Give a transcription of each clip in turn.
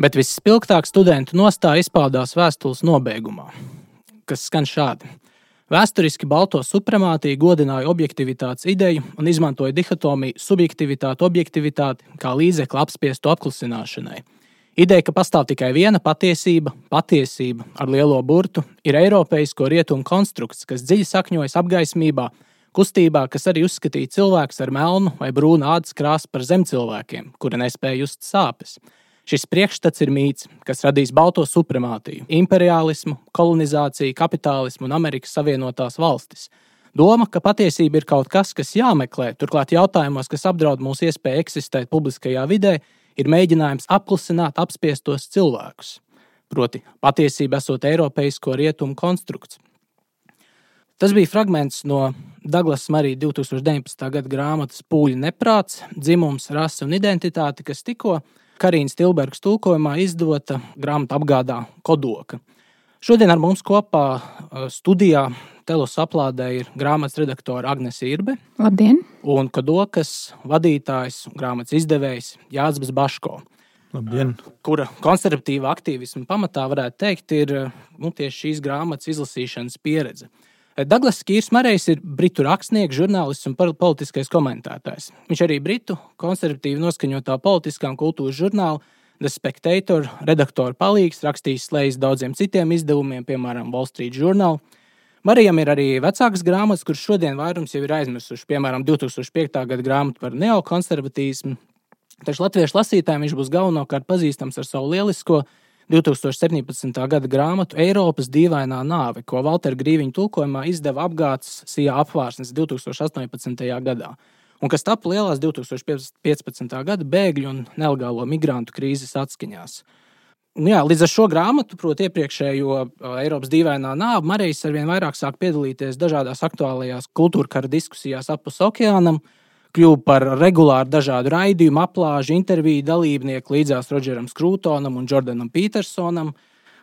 Bet visspilgtāk studentu nostāja izpaudās vēstules nobeigumā, kas skan šādi. Vēsturiski balto supremātiju godināja objektivitātes ideju un izmantoja dihotomiju subjektivitāti-objektivitāti kā līdzekli apspiestu apklusināšanai. Ideja, ka pastāv tikai viena patiesība ar lielo burtu, ir eiropeisko rietumu konstrukts, kas dziļi sakņojas apgaismībā, kustībā, kas arī uzskatīja cilvēkus ar melnu vai brūnu ādas krāsu par zemcilvēkiem, kuri nespēja just sāpes. Šis priekšstats ir mīts, kas radīs balto supremātiju, imperiālismu, kolonizāciju, kapitālismu un Amerikas Savienotās valstis. Doma, ka patiesība ir kaut kas jāmeklē, turklāt jautājumos, kas apdraud mūsu iespēju eksistēt publiskajā vidē, ir mēģinājums apklusināt apspiestos cilvēkus. Proti, patiesība esot eiropeisko rietumu konstrukts. Tas bija fragments no Douglas Murray 2019. Gada grāmatas Pūļu neprāts, dzimums, rase un identitāte, kas tikko Karīnas Tilbergas tulkojumā izdota grāmata apgādā Kodoka. Šodien ar mums kopā studijā Telos aplādē ir grāmatas redaktore Agnese Irbe. Labdien! Un Kodokas vadītājs un grāmatas izdevējs Jāzbis Baško. Labdien! Kura konservatīva aktīvisma pamatā varētu teikt ir tieši šīs grāmatas izlasīšanas pieredze. Douglas Kīrs Marejs ir britu rakstnieks, žurnālists un politiskais komentētājs. Viņš arī britu konservatīvi noskaņotā politiskā un kultūras žurnāla The Spectator redaktora palīgs, rakstījis slejas daudziem citiem izdevumiem, piemēram, Wall Street Journal. Marijam ir arī vecākas grāmatas, kuras šodien vairums jau ir aizmirsuši, piemēram, 2005. Gada grāmata par neokonservatīsmu. Taču latviešu lasītājiem viņš būs galvenokārt pazīstams ar savu lielisko 2017. Gada grāmatu Eiropas dīvainā nāve, ko Valtera Grīviņa tulkojumā izdeva Apgādes Sijā apvārsnes 2018. gadā, un kas tapu lielās 2015. gada bēgļu un nelegālo migrantu krīzes atskaņās. Līdz ar šo grāmatu, proti iepriekšējo Eiropas dīvainā nāve, Marejs arvien vairāk sāk piedalīties dažādās aktuālajās kultūrkara diskusijās apus okeānam, kļuva par regulāru dažādu raidījumu, aplāžu, interviju dalībnieku līdzās Rodžeram Skrūtonam un Jordanam Petersonam.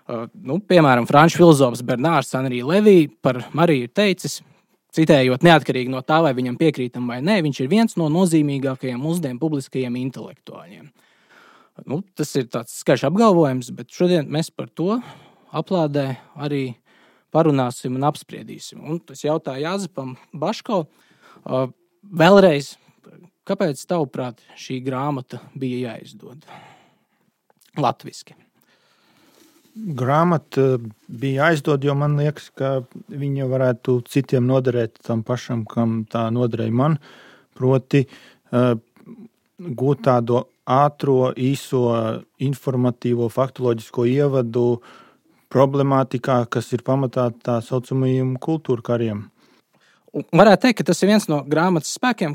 Piemēram, franču filozofs Bernārs Henri Levī par Mariju ir teicis, citējot, neatkarīgi no tā, vai viņam piekrītam vai nē, viņš ir viens no nozīmīgākajiem mūsdienu publiskajiem intelektuāļiem. Tas ir tāds skaļš apgalvojums, bet šodien mēs par to aplādē arī parunāsim un apspriedīsim. Un tas jautāja Jāzepam Baško. Vēlreiz, kāpēc tavuprāt šī grāmata bija jāizdod latviski? Grāmata bija jāizdod, jo man liekas, ka viņa varētu citiem noderēt tam pašam, kam tā noderēja man. Proti gūt tādu ātro, īso, informatīvo, faktoloģisko ievadu problemātikā, kas ir pamatā tā saucamajiem kultūrkariem. Varētu teikt, ka tas ir viens no grāmatas spēkiem,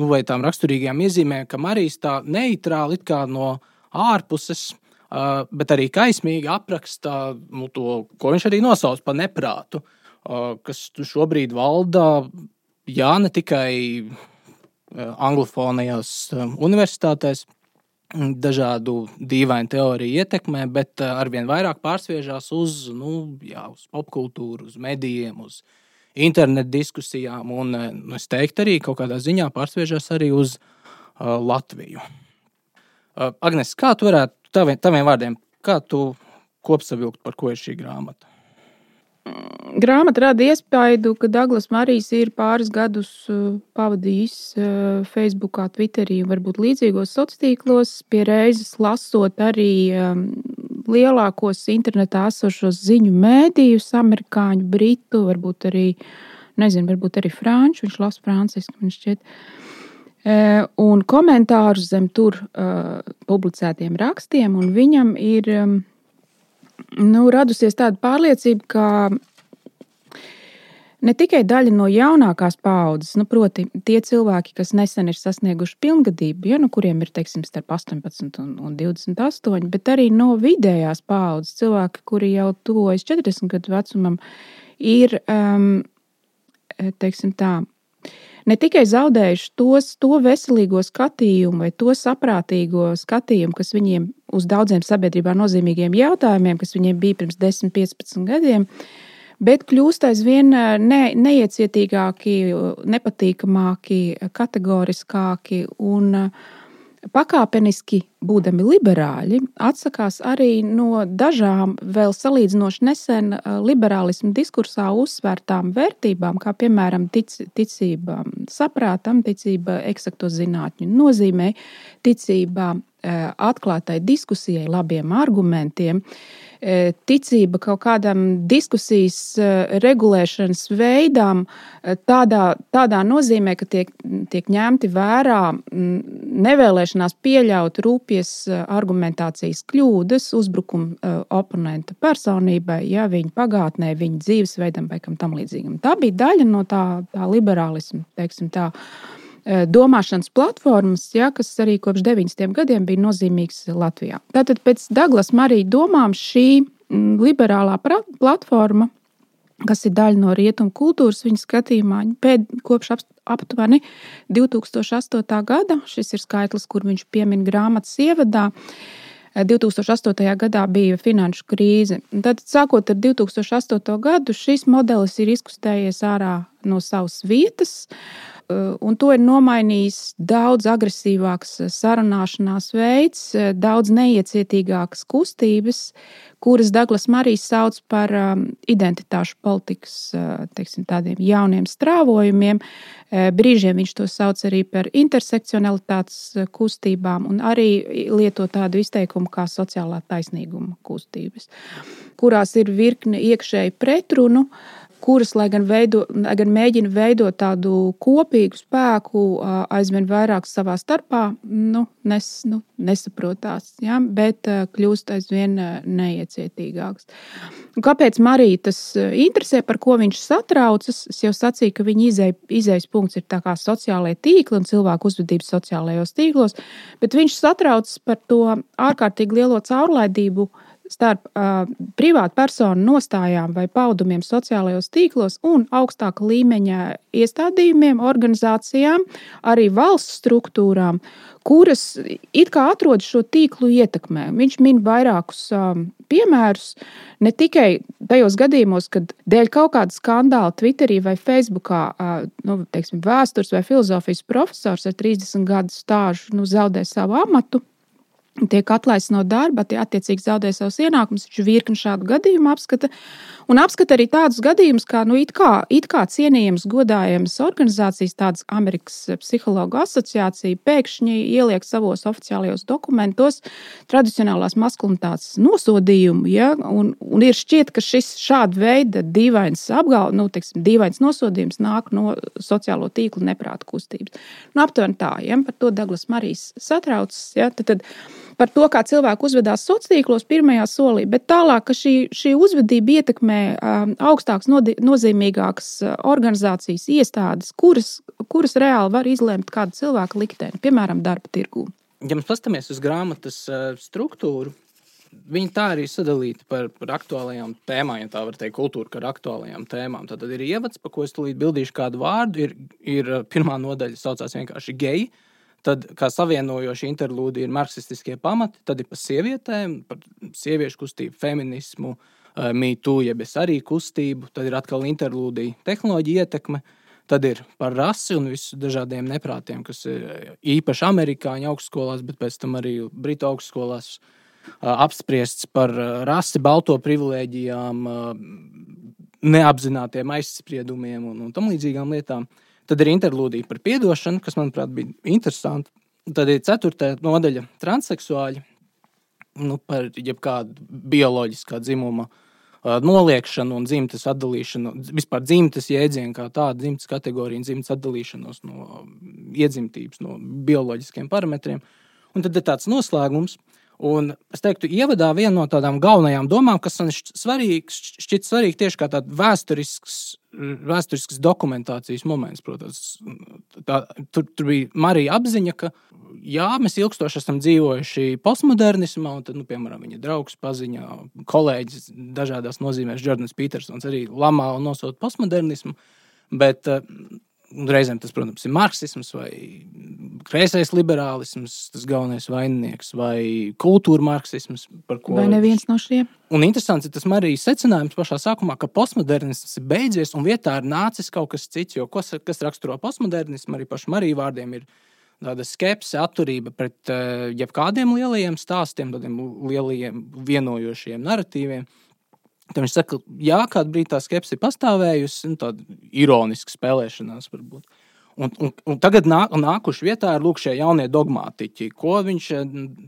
vai tām raksturīgajām iezīmēm, ka Marijs tā neitrāli it kā no ārpuses, bet arī kaismīgi apraksta to, ko viņš arī nosauc par neprātu, kas šobrīd valda, ne tikai anglofonajās universitātēs, dažādu dīvainu teoriju ietekmē, bet arvien vairāk pārsviežās uz popkultūru, uz medijiem, uz internetu diskusijām, un es teiktu arī kaut kādā ziņā pārsviežās arī uz Latviju. Agnes, kā tu varētu taviem vārdiem, kā tu kopsavilkt, par ko ir šī grāmata? Grāmata rada iespaidu, ka Douglas Marijs ir pāris gadus pavadījis Facebookā, Twitterī un varbūt līdzīgos sociālos, pie reizes lasot arī lielākos internetā esošos ziņu mēdījus, amerikāņu, britu, varbūt arī franču, viņš lasa franciski, man šķiet, un komentārus zem tur publicētiem rakstiem, un viņam ir radusies tāda pārliecība, ka ne tikai daļa no jaunākās paaudzes, proti tie cilvēki, kas nesen ir sasnieguši pilngadību, kuriem ir, starp 18 un 28, bet arī no vidējās paaudzes cilvēki, kuri jau tuvojas 40 gadu vecumam, ir, ne tikai zaudējuši to veselīgo skatījumu vai to saprātīgo skatījumu, kas viņiem uz daudziem sabiedrībā nozīmīgiem jautājumiem, kas viņiem bija pirms 10-15 gadiem, bet kļūst aizvien neiecietīgāki, nepatīkamāki, kategoriskāki un pakāpeniski, būdami liberāļi, atsakās arī no dažām vēl salīdzinoši nesen liberālismu diskursā uzsvērtām vērtībām, kā piemēram ticība saprātam, ticība eksakto zinātņu nozīmē, ticība atklātai diskusijai, labiem argumentiem, ticība kaut kādam diskusijas regulēšanas veidām tādā nozīmē, ka tiek ņemti vērā nevēlēšanās pieļaut rūpjas argumentācijas kļūdas, uzbrukumu oponenta personībai, ja, viņa pagātnē, viņa dzīvesveidam vai kam tam līdzīgam. Tā bija daļa no tā liberālisma, teiksim tā, domāšanas platformas, ja, kas arī kopš 90. gadiem bija nozīmīgs Latvijā. Tātad pēc Douglas Murray domām šī liberālā platforma, kas ir daļa no rietumu kultūras viņa skatījumā, kopš aptuveni 2008. gada, šis ir skaitlis, kur viņš piemin grāmatas ievadā, 2008. gadā bija finanšu krīze. Tad, sākot ar 2008. gadu, šis modelis ir izkustējies ārā no savas vietas, un to ir nomainījis daudz agresīvāks sarunāšanās veids, daudz neiecietīgākas kustības, kuras Douglas Murray sauc par identitāšu politikas, teiksim, tādiem jauniem strāvojumiem. Brīžiem viņš to sauc arī par intersekcionalitātes kustībām un arī lieto tādu izteikumu kā sociālā taisnīguma kustības, kurās ir virkne iekšēju pretrunu, kuras, lai gan mēģina veidot tādu kopīgu spēku, aizvien vairāk savā starpā, nesaprotās, ja, bet kļūst aizvien neiecietīgāks. Kāpēc Murray tas interesē, par ko viņš satraucas? Es jau sacīju, ka viņa izejas punkts ir tā kā sociālajie tīkli un cilvēku uzvedības sociālajos tīklos, bet viņš satraucas par to ārkārtīgi lielo caurlaidību starp privātu personu nostājām vai paudumiem sociālajos tīklos un augstāka līmeņa iestādījumiem, organizācijām, arī valsts struktūrām, kuras it kā atrodas šo tīklu ietekmē. Viņš min vairākus piemērus, ne tikai tajos gadījumos, kad dēļ kaut kāda skandāla Twitterī vai Facebookā, vēstures vai filozofijas profesors ar 30 gadu stāžu zaudē savu amatu, tiek atlaists no darba, attiecīgi zaudē savus ienākumus, viņš virkni šādu gadījumu apskata. Un apskata arī tādus gadījumus, kā, it kā cienījams, godājams organizācijas, tādas Amerikas psihologu asociācija, pēkšņi ieliek savos oficiālajos dokumentos tradicionālās maskulinitātes nosodījumu, ja, un ir šķiet, ka šis šāda veida dīvains dīvains nosodījums nāk no sociālo tīklu neprāta kustības. Aptuveni tā, ja, par to Douglas Murray satraucas, ja, tad par to, kā cilvēki uzvedās sociālos tīklos pirmajā solī, bet tālāk, ka šī uzvedība ietekmē augstāks, nozīmīgākas organizācijas iestādes, kuras reāli var izlemt kādu cilvēku likteni, piemēram, darba tirgū. Ja mēs paskatāmies uz grāmatas struktūru, viņa tā arī sadalīta par aktuālajām tēmām, ja tā var teikt, kultūra ar aktuālajām tēmām. Tad ir ievads, pa ko es tūlīt bildīšu kādu vārdu, ir pirmā nodaļa saucās vienkārši geji. Tad, kā savienojoši interlūdi, ir marksistiskie pamati, tad ir par sievietēm, par sieviešu kustību, feminismu, Me Too, jeb es arī kustību, tad ir atkal interlūdija tehnoloģija ietekme, tad ir par rasi un visu dažādiem neprātiem, kas ir īpaši amerikāņu augstskolās, bet pēc tam arī britu augstskolās apspriests par rasi, balto privilēģijām, neapzinātiem aizspriedumiem un tam līdzīgām lietām. Tad ir interlūdija par piedošanu, kas, manuprāt, bija interesanti. Tad ir 4. nodaļa transseksuāļi, par jebkādu bioloģiskā dzimuma noliekšanu un dzimtes atdalīšanu, vispār dzimtes jēdzienu kā tādu, dzimtes kategoriju un dzimtes atdalīšanos no iedzimtības, no bioloģiskiem parametriem. Un tad ir tāds noslēgums. Un es teiktu, ievadā viena no tādām galvenajām domām, kas man šķiet svarīgi tieši kā tāda vēsturisks dokumentācijas moments, protams. Tur bija Marija apziņa, ka jā, mēs ilgstoši esam dzīvojuši postmodernismā, un tad, piemēram, viņa draugs paziņā, kolēģis dažādās nozīmēs, Jordans Petersons arī lamā un nosauc postmodernismu, bet reizēm tas, protams, ir marksisms vai kreisais liberālisms, tas galvenais vaininieks, vai kultūra marksisms, par ko... Vai neviens no šiem? Un interesants ir tas Marijas secinājums pašā sākumā, ka postmodernisms ir beidzies un vietā ir nācis kaut kas cits, jo kas raksturo postmodernismu, arī pašu Mariju vārdiem ir tāda skepse, atturība pret jebkādiem lielajiem stāstiem, tādiem lielajiem vienojošiem narratīviem. Tad viņš saka, jā, kādu brīdi tā skepse ir pastāvējusi, tāda ironiska spēlēšanās varbūt. Un tagad nākuši vietā ir lūk šie jaunie dogmātiķi, ko viņš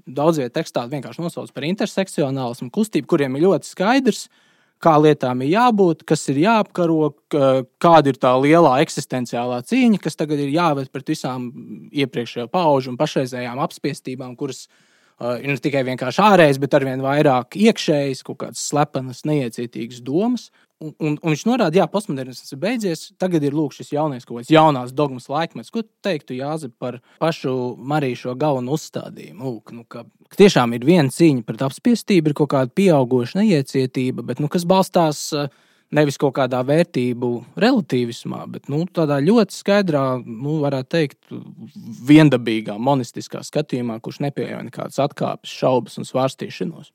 daudz viet tekstā vienkārši nosauc par intersekcionālismu kustību, kuriem ir ļoti skaidrs, kā lietām ir jābūt, kas ir jāapkaro, kāda ir tā lielā eksistenciālā cīņa, kas tagad ir jāved pret visām iepriekšējo paužu un pašreizējām apspiestībām, kuras ir ne tikai vienkārši ārējas, bet arvien vairāk iekšējas, kaut kādas slepenas, neiecietīgas domas. Un viņš norāda, jā, postmodernisms ir beidzies, tagad ir lūk šis jaunais kaut kāds jaunās dogmas laikmets. Ko teiktu, Jāzep, par pašu Mariju šo galveno uzstādījumu? Lūk, ka tiešām ir viena cīņa pret apspiestību, ir kaut kāda pieaugoša neiecietība, bet kas balstās nevis kaut kādā vērtību relativismā, bet tādā ļoti skaidrā, varētu teikt, viendabīgā, monistiskā skatījumā, kurš nepieļauj nekādas atkāpes, šaubas un svārstīšanos.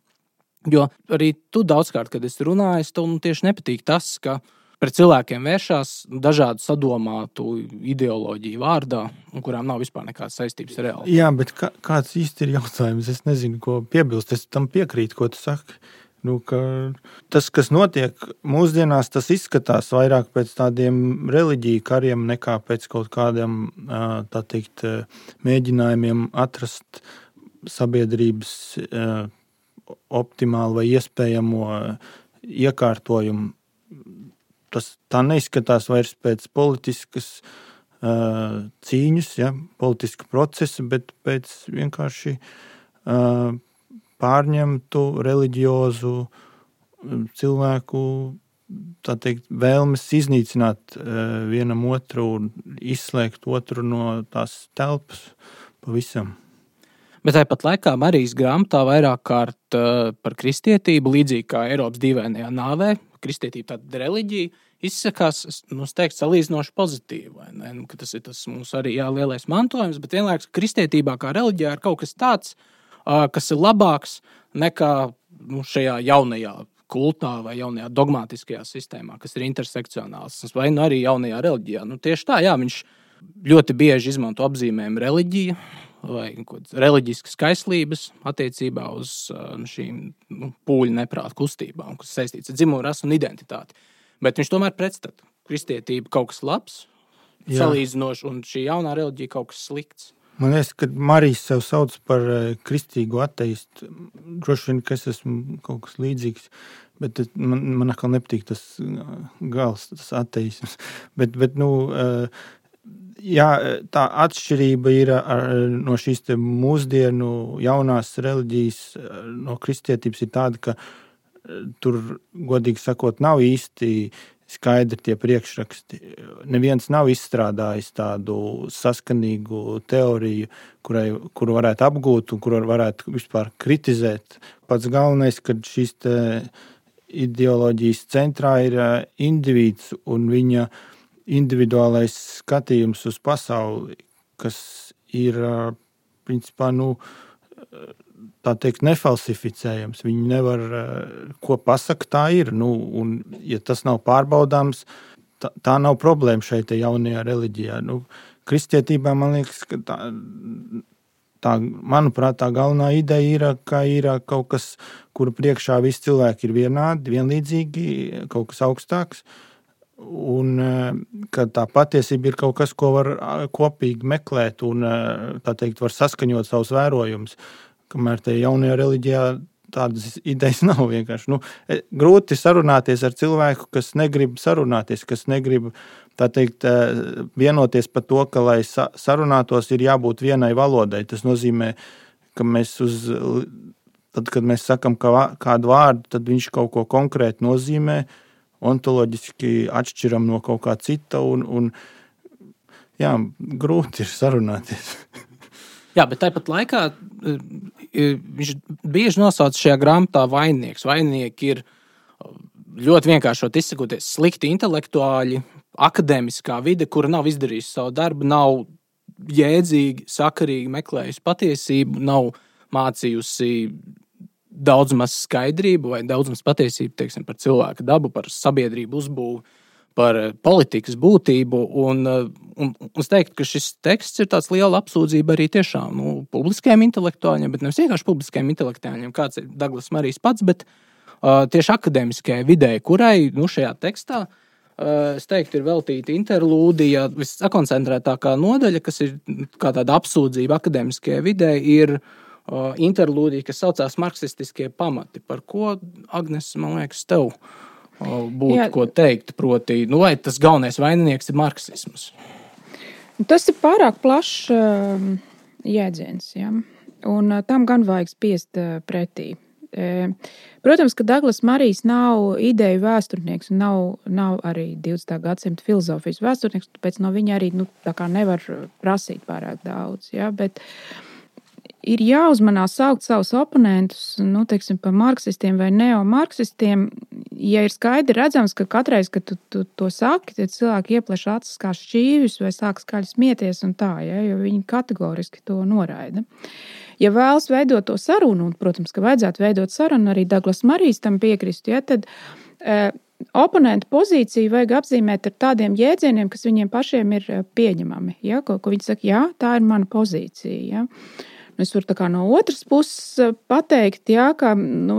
Jo arī tu daudzkārt, kad esi runājis, tev tieši nepatīk tas, ka pret cilvēkiem vēršās dažādu sadomātu ideoloģiju vārdā, un kurām nav vispār nekādas saistības ar realitāti. Jā, bet kāds īsti ir jautājums? Es nezinu, ko piebilst. Es tam piekrītu, ko tu saki. Tas, kas notiek mūsdienās, tas izskatās vairāk pēc tādiem reliģiju kariem nekā pēc kaut kādiem, tā teikt, mēģinājumiem atrast sabiedrības optimālu vai iespējamo iekārtojumu. Tā neizskatās vairs pēc politiskas cīņas, politiska procesa, bet pēc vienkārši pārņemtu reliģiozu cilvēku, tā teikt, vēlmes iznīcināt vienam otru un izslēgt otru no tās telpas pavisam. Bet tāpat laikā Marijas grāmatā vairāk kārt par kristietību, līdzīgi kā Eiropas dīvainajā nāvē, kristietība tāda reliģija, izsakās, teikt, salīdzinoši pozitīvi, vai ne? Ka tas ir tas mums arī lielais mantojums, bet vienlaikus kristietībā kā reliģijā ir kaut kas tāds, kas ir labāks nekā šajā jaunajā kultā vai jaunajā dogmātiskajā sistēmā, kas ir intersekcionāls, vai arī jaunajā reliģijā. Tieši tā, jā, viņš ļoti bieži izmanto apzīmējumu reliģija, vai reliģiskas kaislības attiecībā uz šīm pūļu neprāta kustībām, kas saistīts ar dzimumu, rasu un identitāti. Bet viņš tomēr pretstata kristietība kaut kas labs, salīdzinoši, un šī jaunā reliģija kaut kas slikts. Man liekas, ka Marijas sev sauc par kristīgu ateistu. Droši vien, ka es esmu kaut kas līdzīgs, bet man atkal nepatīk tas gals, tas ateisms. Bet jā, tā atšķirība ir no šīs te mūsdienu jaunās reliģijas, no kristietības ir tāda, ka tur, godīgi sakot, nav īsti skaidri tie priekšraksti. Neviens nav izstrādājis tādu saskanīgu teoriju, kuru varētu apgūt un kuru varētu vispār kritizēt. Pats galvenais, ka šīs te ideoloģijas centrā ir indivīds un viņa individuālais skatījums uz pasauli, kas ir, principā, tā teikt, nefalsificējams. Viņi nevar, ko pasaka, tā ir. Un, ja tas nav pārbaudāms, tā nav problēma šeit jaunajā reliģijā. Kristietībā, man liekas, ka manuprāt, tā galvenā ideja ir, ka ir kaut kas, kura priekšā visi cilvēki ir vienādi, vienlīdzīgi, kaut kas augstāks. Un ka tā patiesība ir kaut kas, ko var kopīgi meklēt un, tā teikt, var saskaņot savus vērojumus. Kamēr te jaunajā reliģijā tādas idejas nav vienkārši. Grūti sarunāties ar cilvēku, kas negrib sarunāties, kas negrib, tā teikt, vienoties par to, ka, lai sarunātos, ir jābūt vienai valodai. Tas nozīmē, ka tad, kad mēs sakam kādu vārdu, tad viņš kaut ko konkrēti nozīmē, ontoloģiski atšķiram no kaut kā cita un jā, grūti ir sarunāties. Jā, bet tāpat laikā viņš bieži nosauc šajā grāmatā vaininieks. Vaininieki ir ļoti vienkāršot izsakoties slikti intelektuāļi, akadēmiskā vide, kura nav izdarījusi savu darbu, nav jēdzīgi, sakarīgi meklējusi patiesību, nav mācījusi daudz maz skaidrību vai daudz maz patiesību, teiksim, par cilvēka dabu, par sabiedrību uzbūvu, par politikas būtību, un Un es teiktu, ka šis teksts ir tāds liela apsūdzība arī tiešām publiskajiem intelektuāļiem, bet nevis vienkārši publiskajiem intelektuāļiem, kāds ir Douglas Marijs pats, bet tieši akadēmiskajai videi, kurai šajā tekstā, es teiktu, ir veltīta interlūdija, viskoncentrētākā nodaļa, kas ir kā tāda apsūdzība akadēmiskajai videi, ir interlūdija, kas saucās marksistiskie pamati, par ko, Agnes, man liekas, tev būtu ko teikt, proti, vai tas galvenais vaininieks ir marksisms? Tas ir pārāk plašs jēdziens, ja? Un tam gan vajag spiest pretī. Protams, ka Douglas Marijs nav ideju vēsturnieks un nav arī 20. gadsimta filozofijas vēsturnieks, tāpēc no viņa arī tā kā nevar prasīt pārāk daudz. Ja? Bet ir jāuzmanās saukt savus oponentus, teiksim, par marksistiem vai neomarksistiem, ja ir skaidri redzams, ka katreiz, kad tu to saki, tad cilvēki iepleš acis kā šķīvis vai sāk skaļi smieties un tā, ja? Jo viņi kategoriski to noraida. Ja vēlas veidot to sarunu, un, protams, ka vajadzētu veidot sarunu, arī Douglas Marijs tam piekrist, ja? Tad oponentu pozīciju vajag apzīmēt ar tādiem jēdzieniem, kas viņiem pašiem ir pieņemami. Ja? Ko viņi saka, jā, tā ir mana pozīcija. Ja? Es varu tā kā no otras puses pateikt, ja, ka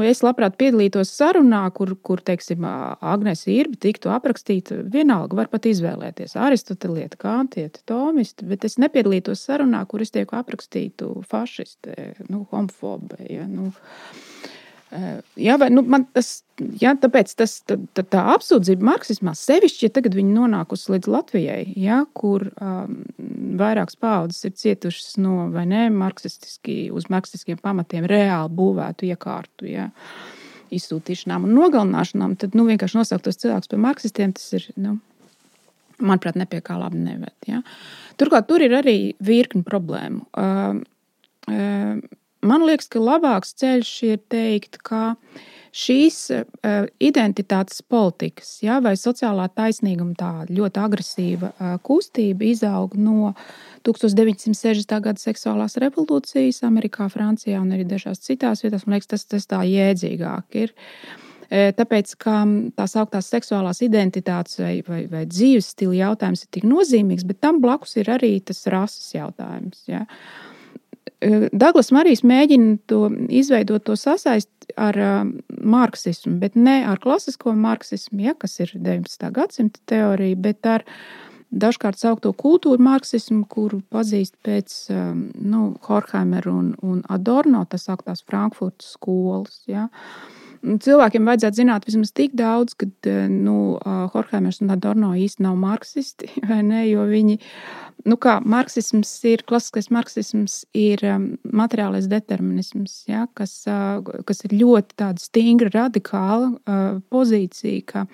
es labprāt piedalītos sarunā, kur teiksim, Agnes Irbe tiktu aprakstīta, vienalga var pat izvēlēties aristotelieti, kantieti, tomisti, bet es nepiedalītos sarunā, kur es tieku aprakstītu fašisti, homofobi. Ja, jā, vai, man tas, jā, tāpēc tā apsūdzība marksismā sevišķi, ja tagad viņi nonākusi līdz Latvijai, ja, kur vairākas paaudzes ir cietušas no vai ne uz marksistiskiem pamatiem reāli būvētu iekārtu, ja, izsūtīšanām un nogalināšanām, tad vienkārši nosaukt tos cilvēkus par marksistiem, tas ir, manuprāt, nepie kā labi neved. Ja. Turklāt tur ir arī virkni problēmu. Man liekas, ka labāks ceļš ir teikt, ka šīs identitātes politikas, ja, vai sociālā taisnīguma tā ļoti agresīva kustība izaug no 1960. gada seksuālās revolūcijas Amerikā, Francijā un arī dažās citās vietās. Man liekas, tas tā jēdzīgāk ir. Tāpēc, ka tās augtās seksuālās identitātes vai dzīves stila jautājums ir tik nozīmīgs, bet tam blakus ir arī tas rases jautājums, ja. Douglas Marijs mēģina to izveidot to sasaist ar marksismu, bet ne ar klasisko marksismu, ja, kas ir 19. gadsimta teorija, bet ar dažkārt saukto kultūru marksismu, kuru pazīst pēc Horkheimer un Adorno, tas sauktās Frankfurtas skolas. Ja. Cilvēkiem vajadzētu zināt vismaz tik daudz, ka Horkheimers un Adorno īsti nav marksisti, vai ne, jo viņi, klasiskais marksisms ir materiālais determinisms, ja, kas ir ļoti tāda stingra, radikāla pozīcija, ka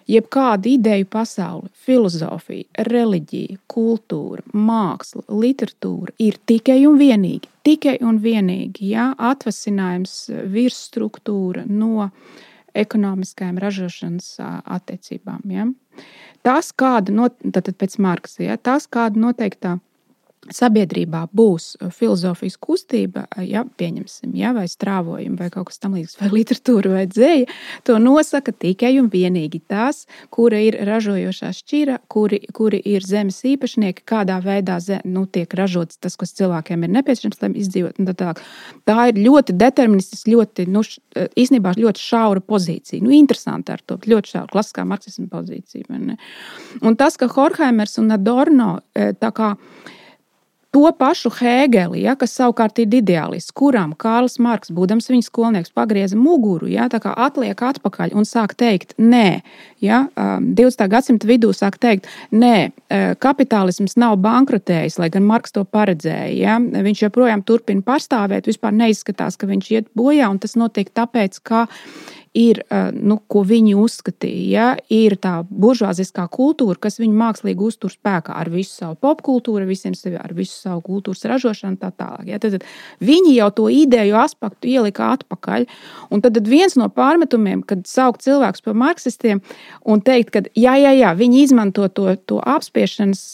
jebkāda ideju pasaule, filozofija, reliģija, kultūra, māksla, literatūra ir tikai un vienīgi, ja, atvasinājums virsstruktūra no ekonomiskajām ražošanas attiecībām. Ja. Tas, tātad pēc Marksa, ja, tas, kāda noteiktā sabiedrībā būs filozofijas kustība, ja, pieņemsim, ja, vai strāvojumi, vai kaut kas tam līdzīgs, vai literatūra, vai dzēja, to nosaka tikai un vienīgi tas, kura ir ražojošā šķira, kuri ir zemes īpašnieki, kādā veidā tiek ražots tas, kas cilvēkiem ir nepieciešams, lai izdzīvot. Tā ir ļoti deterministiski, ļoti, īstenībā ļoti šaura pozīcija. Interesanti ar to, ļoti šaura, klasiskā marksisma pozīcija. Un tas, ka Horkheimers un Adorno tā kā to pašu Hēgeli, ja, kas savukārt ir ideālists, kuram Kārlis Marks, būdams viņa skolnieks, pagrieza muguru, ja, tā kā atliek atpakaļ un sāk teikt, nē, ja, 20. gadsimta vidū sāk teikt, nē, kapitālisms nav bankrotējis, lai gan Marks to paredzēja. Ja, viņš joprojām turpina pastāvēt, vispār neizskatās, ka viņš iet bojā, un tas notiek tāpēc, ka ir, ko viņi uzskatīja, ja, ir tā buržuāziskā kultūra, kas viņu mākslīgi uztur spēkā ar visu savu popkultūru, ar visu savu kultūras ražošanu tā tālāk. Ja. Tad viņi jau to ideju aspektu ielika atpakaļ, un tad viens no pārmetumiem, kad saukt cilvēkus par marksistiem un teikt, ka jā, viņi izmanto to apspiešanas,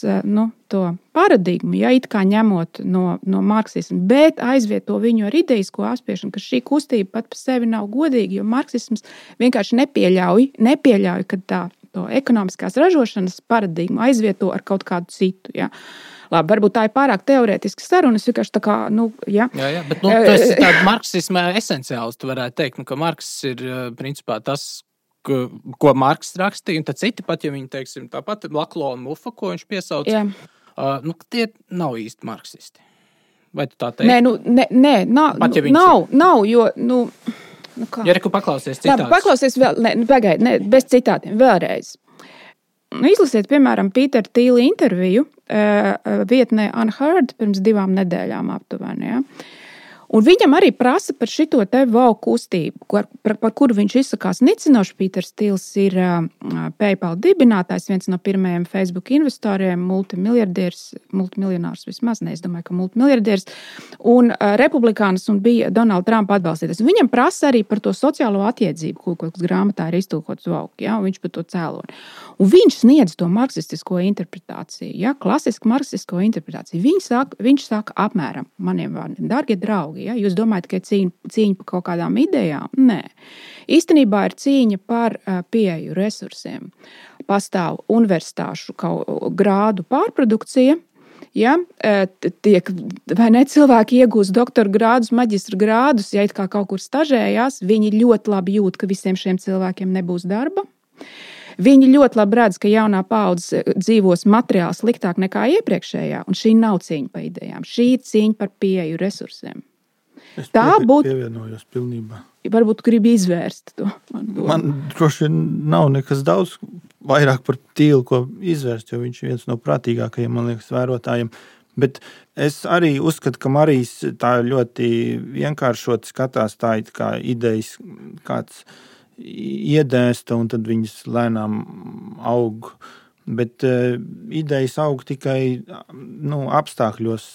to paradigmu, ja, it kā ņemot no marksismu, bet aizvieto viņu ar ideisko apspiešanu, ka šī kustība pat par sevi nav godīga, jo marksisms vienkārši nepieļauj, ka tā to ekonomiskās ražošanas paradigmu aizvieto ar kaut kādu citu. Ja. Labi, varbūt tā ir pārāk teorētiska saruna. Es vienkārši tā kā, Jā, bet tas ir tāds marksisma esenciāls, tu varētu teikt, ka Marks ir principā tas, ko Marks rakstīja, un tad citi pat, ja viņi, teiksim, tāpat Laklo un Mufa, ko viņš piesauc, tie nav īsti marksisti. Vai tu tā teiksi? Nē, nav, jo, kā? Ja reku paklausies citātus. Paklausies vēl, pagaidi, bez citātiem, vēlreiz. Izlasiet, piemēram, Pītera Tīla interviju vietnē Unheard pirms 2 nedēļām aptuveni, ja? Un viņam arī prasa par šito te wow kustību, par kuru viņš izsakās nicinoši. Pīters Tīls ir PayPal dibinātājs, viens no pirmajiem Facebook investoriem, multimiljonārs vismaz, es domāju, ka multimiljardiers, un republikānis un bija Donalda Trumpa atbalstītājs. Viņam prasa arī par to sociālo attiedzību, ko grāmatā ir iztulkots Vauk, ja, un viņš par to cēloni. Un viņš sniedz to marksistisko interpretāciju, ja, klasisku marksistisko interpretāciju. Viņš saka apmēram maniem vārdiem, dārgie draugi, ja, jūs domājat, ka ir cīņa par kaut kādām idejām? Nē. Īstenībā ir cīņa par pieeju resursiem. Pastāv universitāšu grādu pārprodukcija, ja, tiek, vai ne, cilvēki iegūst doktora grādus, maģistra grādus, ja it kā kaut kur stažējās, viņi ļoti labi jūt, ka visiem šiem cilvēkiem nebūs darba. Viņi ļoti labi redz, ka jaunā paudze dzīvos materiāli sliktāk nekā iepriekšējā, un šī nav cīņa par idejām. Šī ir cīņa par pieeju resursiem. Es pievienojos pilnībā. Varbūt gribi izvērst to. Man droši nav nekas daudz vairāk par Tīlu, ko izvērst, jo viņš ir viens no prātīgākajiem, man liekas, vērotājiem. Bet es arī uzskatu, ka Marijs tā ļoti vienkāršot skatās, tā ir kā idejas kāds iedēsta, un tad viņas lēnām aug. Bet idejas aug tikai apstākļos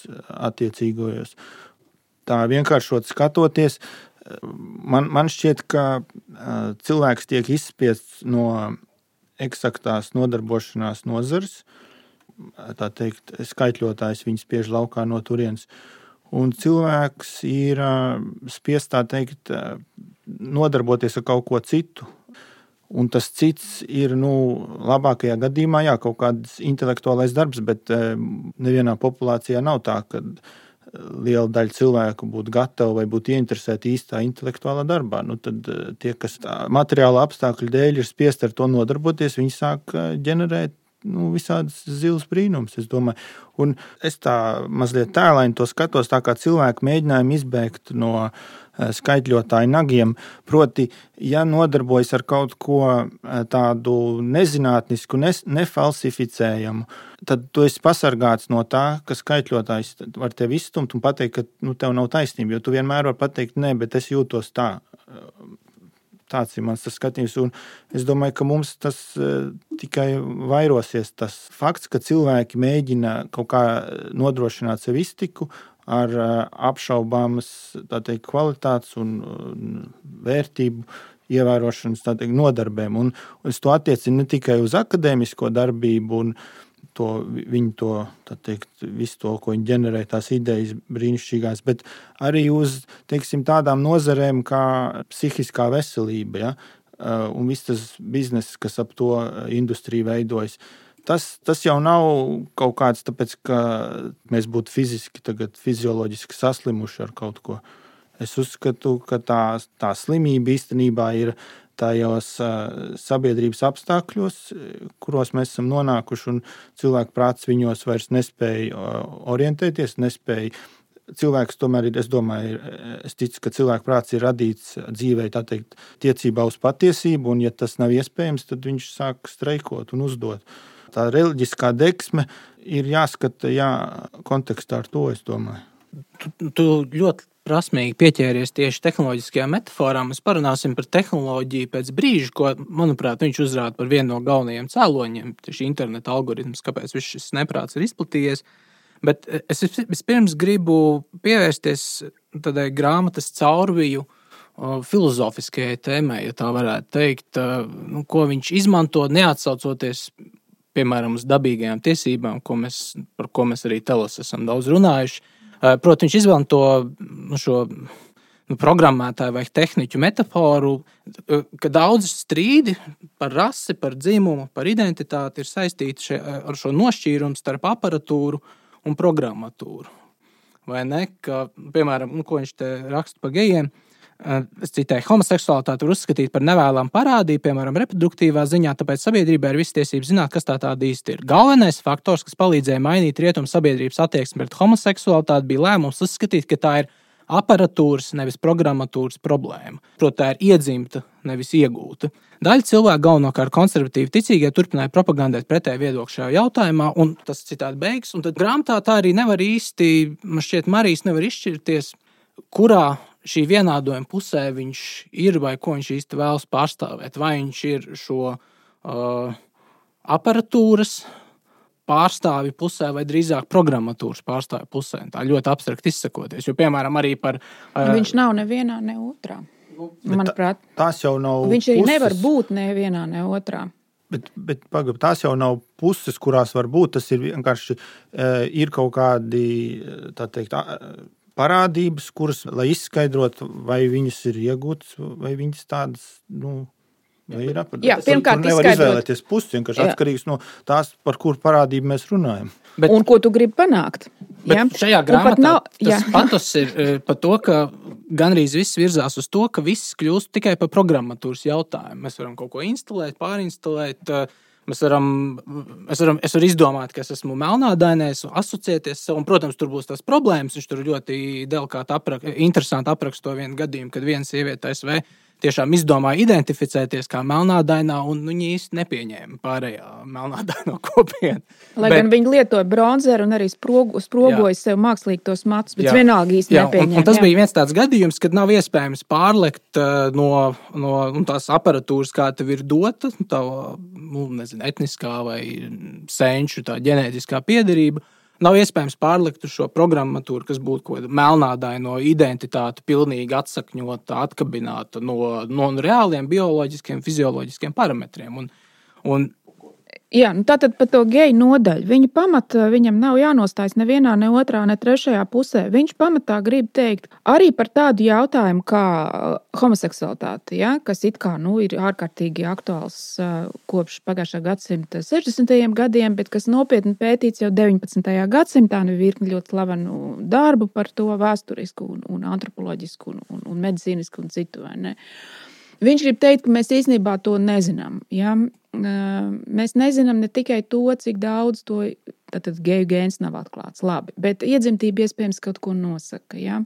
attiecīgojos. Tā vienkāršot skatoties, man šķiet, ka cilvēks tiek izspiests no eksaktās nodarbošanās nozares, tā teikt, skaitļotājs viņu spiež laukā no turienes. Un cilvēks ir spiests, tā teikt, nodarboties ar kaut ko citu. Un tas cits ir, labākajā gadījumā, kaut kāds intelektuālais darbs, bet nevienā populācijā nav tā, ka liela daļa cilvēku būtu gatavi vai būtu ieinteresēti īstā intelektuālā darbā. Tad tie, kas materiāla apstākļu dēļ ir spiest ar to nodarboties, viņi sāk ģenerēt visādas zilas brīnums, es domāju. Un es tā mazliet tēlaini to skatos, tā kā cilvēki mēģinājumu izbēgt no skaitļotāju nagiem. Proti, ja nodarbojas ar kaut ko tādu nezinātnisku, nefalsificējamu, tad tu esi pasargāts no tā, ka skaitļotājs var tevi izstumt un pateikt, ka tev nav taisnība, jo tu vienmēr var pateikt, nē, bet es jūtos tā. Tāds ir mans skatījums, un es domāju, ka mums tas tikai vairosies tas fakts, ka cilvēki mēģina kaut kā nodrošināt sev iztiku ar apšaubāmas, tā teikt, kvalitātes un vērtību ievērošanas, tā teikt, nodarbēm. Un es to attiecinu ne tikai uz akadēmisko darbību un viņu to, tā teikt, visu to, ko viņi ģenerē, tās idejas brīnišķīgās, bet arī uz, teiksim, tādām nozarēm kā psihiskā veselība, ja? Un viss tas bizness, kas ap to industriju veidojas. Tas jau nav kaut kāds, tāpēc, ka mēs būtu fiziski, tagad fizioloģiski saslimuši ar kaut ko. Es uzskatu, ka tā slimība īstenībā ir tajos sabiedrības apstākļos, kuros mēs esam nonākuši, un cilvēku prāts viņos vairs nespēja orientēties, nespēja. Cilvēks tomēr ir, es ticu, ka cilvēku prāts ir radīts dzīvē, tā teikt, tiecībā uz patiesību, un ja tas nav iespējams, tad viņš sāk streikot un uzdot. Tā reliģiskā deksme ir jāskata, kontekstā ar to, es domāju. Tu ļoti prasmīgi pieķēries tieši tehnoloģiskajām metaforām. Mēs parunāsim par tehnoloģiju pēc brīža, ko, manuprāt, viņš uzrāda par vienu no galvenajiem cēloņiem, tieši interneta algoritms, kāpēc viss šis neprāts ir izplatījies. Bet es vispirms gribu pievērsties tādai grāmatas caurviju filozofiskajai tēmai, ja tā varētu teikt, ko viņš izmanto, neatsaucoties, piemēram, uz dabīgajām tiesībām, par ko mēs arī Telos esam daudz runājuši. Proti, viņš izmanto šo programmētāju vai tehniķu metaforu, ka daudz strīdi par rasi, par dzimumu, par identitāti ir saistīti ar šo nošķīrumu starp aparatūru un programmatūru. Vai ne? Ka, piemēram, ko viņš te raksta par gejiem, es citēju, homoseksualitāti var uzskatīt par nevēlamu parādību, piemēram, reproduktīvā ziņā, tāpēc sabiedrībai ir visas tiesības zināt, kas tāda īsti ir. Galvenais faktors, kas palīdzēja mainīt rietumu sabiedrības attieksmi pret homoseksualitāti, bija lēmums uzskatīt, ka tā ir aparatūras, nevis programmatūras problēma. Proti, tā ir iedzimta, nevis iegūta. Daļa cilvēku, galvenokārt konservatīvi ticīgie, turpināja propagandēt pretēju viedokli šajā jautājumā, un tas citādi beigas. Un tad grāmatā tā arī nevar īsti, man šķiet, Marijs nevar izšķirties, kurā šī vienādojuma pusē viņš ir vai ko viņš īsti vēlas pārstāvēt. Vai viņš ir šo aparatūras pārstāvju pusē vai drīzāk programmatūras pārstāvju pusē. Tā ļoti abstrakt izsakoties. Jo, piemēram, arī par... Viņš nav nevienā, ne otrā. Manuprāt, tās jau nav viņš arī puses. Nevar būt nevienā, ne otrā. Bet tās jau nav puses, kurās var būt. Tas ir vienkārši ir kaut kādi, tā teikt, parādības, kuras, lai izskaidrotu, vai viņas ir iegūtas, vai viņas tādas, vai ir aparatūras. Jā, pirmkārt, nevar izvēlēties pusi, vienkārši atkarīgs no tās, par kuru parādību mēs runājam. Un ko tu gribi panākt? Bet šajā grāmatā tas patos ir par to, ka gandrīz viss virzās uz to, ka viss kļūst tikai par programmatūras jautājumu. Mēs varam kaut ko instalēt, pārinstalēt. Es varu izdomāt, ka es esmu melnādainais, asociēties sev, un, protams, tur būs tās problēmas. Viņš tur ļoti delikāti interesanti apraksta to vienu gadījumu, kad viena sieviete ASV tiešām izdomāja identificēties kā melnādainā, un viņi īsti nepieņēma pārējā melnādaino kopienu. Lai gan viņi lietoja bronzeru un arī sprogoja sev mākslīgi tos matus, bet vienalga īsti nepieņēma. Un tas bija viens tāds gadījums, kad nav iespējams pārlekt no tās aparatūras, kā tev ir dota, tā, etniskā vai senču tā ģenētiskā piederība. Nav iespējams pārlikt uz šo programmatūru, kas būtu kaut kāda melnādaino identitāte, pilnīgi atsakņota, atkabināta no reāliem bioloģiskiem, fizioloģiskiem parametriem. Jā, tātad par to geju nodaļu. Viņa pamatā viņam nav jānostājas nevienā, ne otrā, ne trešajā pusē. Viņš pamatā grib teikt arī par tādu jautājumu kā homoseksualitāte, ja, kas it kā ir ārkārtīgi aktuāls kopš pagājušā gadsimta 60. gadiem, bet kas nopietni pētīts jau 19. gadsimtā, virkni ļoti slavenu darbu par to vēsturisku un antropoloģisku un medicīnisku un citu, vai ne? Viņš grib teikt, ka mēs īstenībā to nezinām. Ja? Mēs nezinām ne tikai to, cik daudz to geju gēns nav atklāts. Labi, bet iedzimtība iespējams kaut ko nosaka. Ja?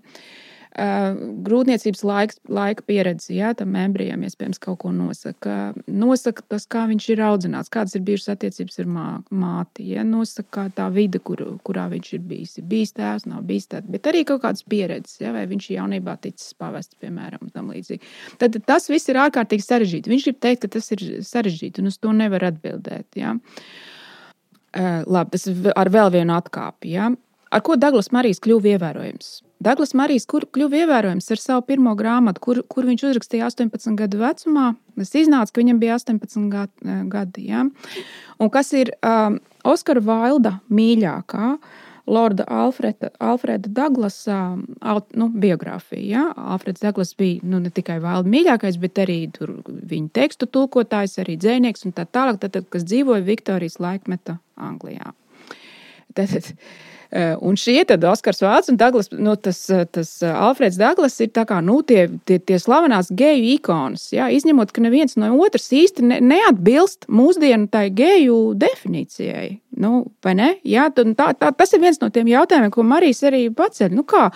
Grūtniecības laika pieredze, ja, tam embrijam iespējams kaut ko nosaka. Nosaka tas, kā viņš ir audzināts, kādas ir bijušas attiecības ar māti. Ja? Nosaka tā vide, kurā viņš ir bijis. Ir bijis tēvs, nav bijis tēvs, bet arī kaut kādas pieredzes, ja? Vai viņš jaunībā ticis pavests, piemēram, un tam līdzīgi. Tad tas viss ir ārkārtīgi sarežģīti. Viņš grib teikt, ka tas ir sarežģīti, un uz to nevar atbildēt. Ja? Labi, tas ar vēl vienu atkāpi. Ja? Ar ko Daglas Marijs kļuva ievērojams? Daglas Marijs kļuva ievērojams ar savu pirmo grāmatu, kur viņš uzrakstīja 18 gadu vecumā. Tas iznāca, ka viņam bija 18 gadi. Ja? Un kas ir Oskara Vailda mīļākā Lorda Alfreda Daglasa biogrāfija. Ja? Alfreds Daglas bija ne tikai Vailda mīļākais, bet arī viņa tekstu tulkotājs, arī dzejnieks un tā tālāk, kas dzīvoja Viktorijas laikmeta Anglijā. Un šie tad Oskars Vailds un Daglas, tas Alfreds Daglas ir tā kā, tie slavenās geju ikonas, ja? Izņemot, ka neviens no otras īsti neatbilst mūsdienu tai geju definīcijai. Vai ne? Ja? Tas ir viens no tiem jautājumiem, ko Marijs arī paceļ. Kā?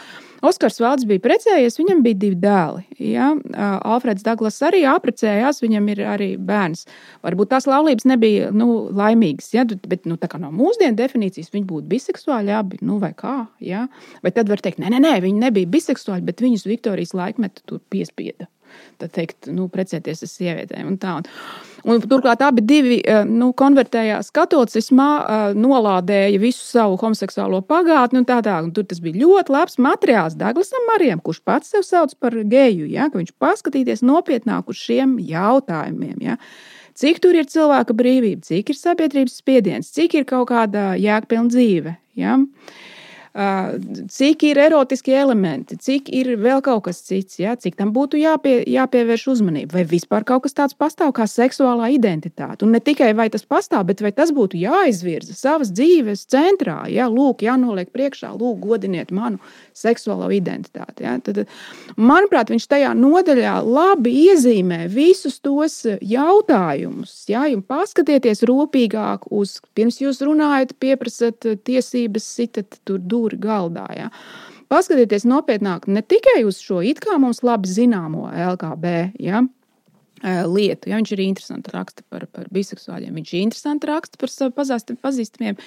Oskars Vailds bija precējies, viņam bija 2 dēli. Ja? Alfreds Daglas arī apprecējās, viņam ir arī bērns. Varbūt tās laulības nebija laimīgas, ja? Bet tā kā no mūsdienu definīcijas viņi būtu biseksuāļi, abi, vai kā. Ja? Vai tad var teikt, nē, viņi nebija biseksuāļi, bet viņus Viktorijas laikmeta tur piespieda. Tad teikt, precēties ar sievietēm un tā. Un turklāt abi divi konvertējās katolicismā, nolādēja visu savu homoseksuālo pagātni un tā. Un tur tas bija ļoti labs materiāls Daglasam Marijam, kurš pats sev sauc par geju, ja? Ka viņš paskatīties nopietnāk uz šiem jautājumiem. Ja? Cik tur ir cilvēka brīvība, cik ir sabiedrības spiediens, cik ir kaut kāda jēgpilna dzīve. Ja? cik ir erotiskie elementi, cik ir vēl kaut kas cits, ja? Cik tam būtu jāpievērš uzmanība, vai vispār kaut kas tāds pastāv kā seksuālā identitāte. Un ne tikai vai tas pastāv, bet vai tas būtu jāizvirza savas dzīves centrā, ja? Lūk, jānoliek priekšā, lūk, godiniet manu seksuālo identitāti. Ja? Tad, manuprāt, viņš tajā nodaļā labi iezīmē visus tos jautājumus, ja? Un paskatieties rūpīgāk uz, pirms jūs runājat, pieprasat tiesības, sitat tur dūri galdā. Ja? Paskatieties nopietnāk ne tikai uz šo it kā mums labi zināmo LGB, ja? Lietu. Ja? Viņš arī interesanti raksta par biseksuāļiem. Viņš interesanti raksta par pazīstamiem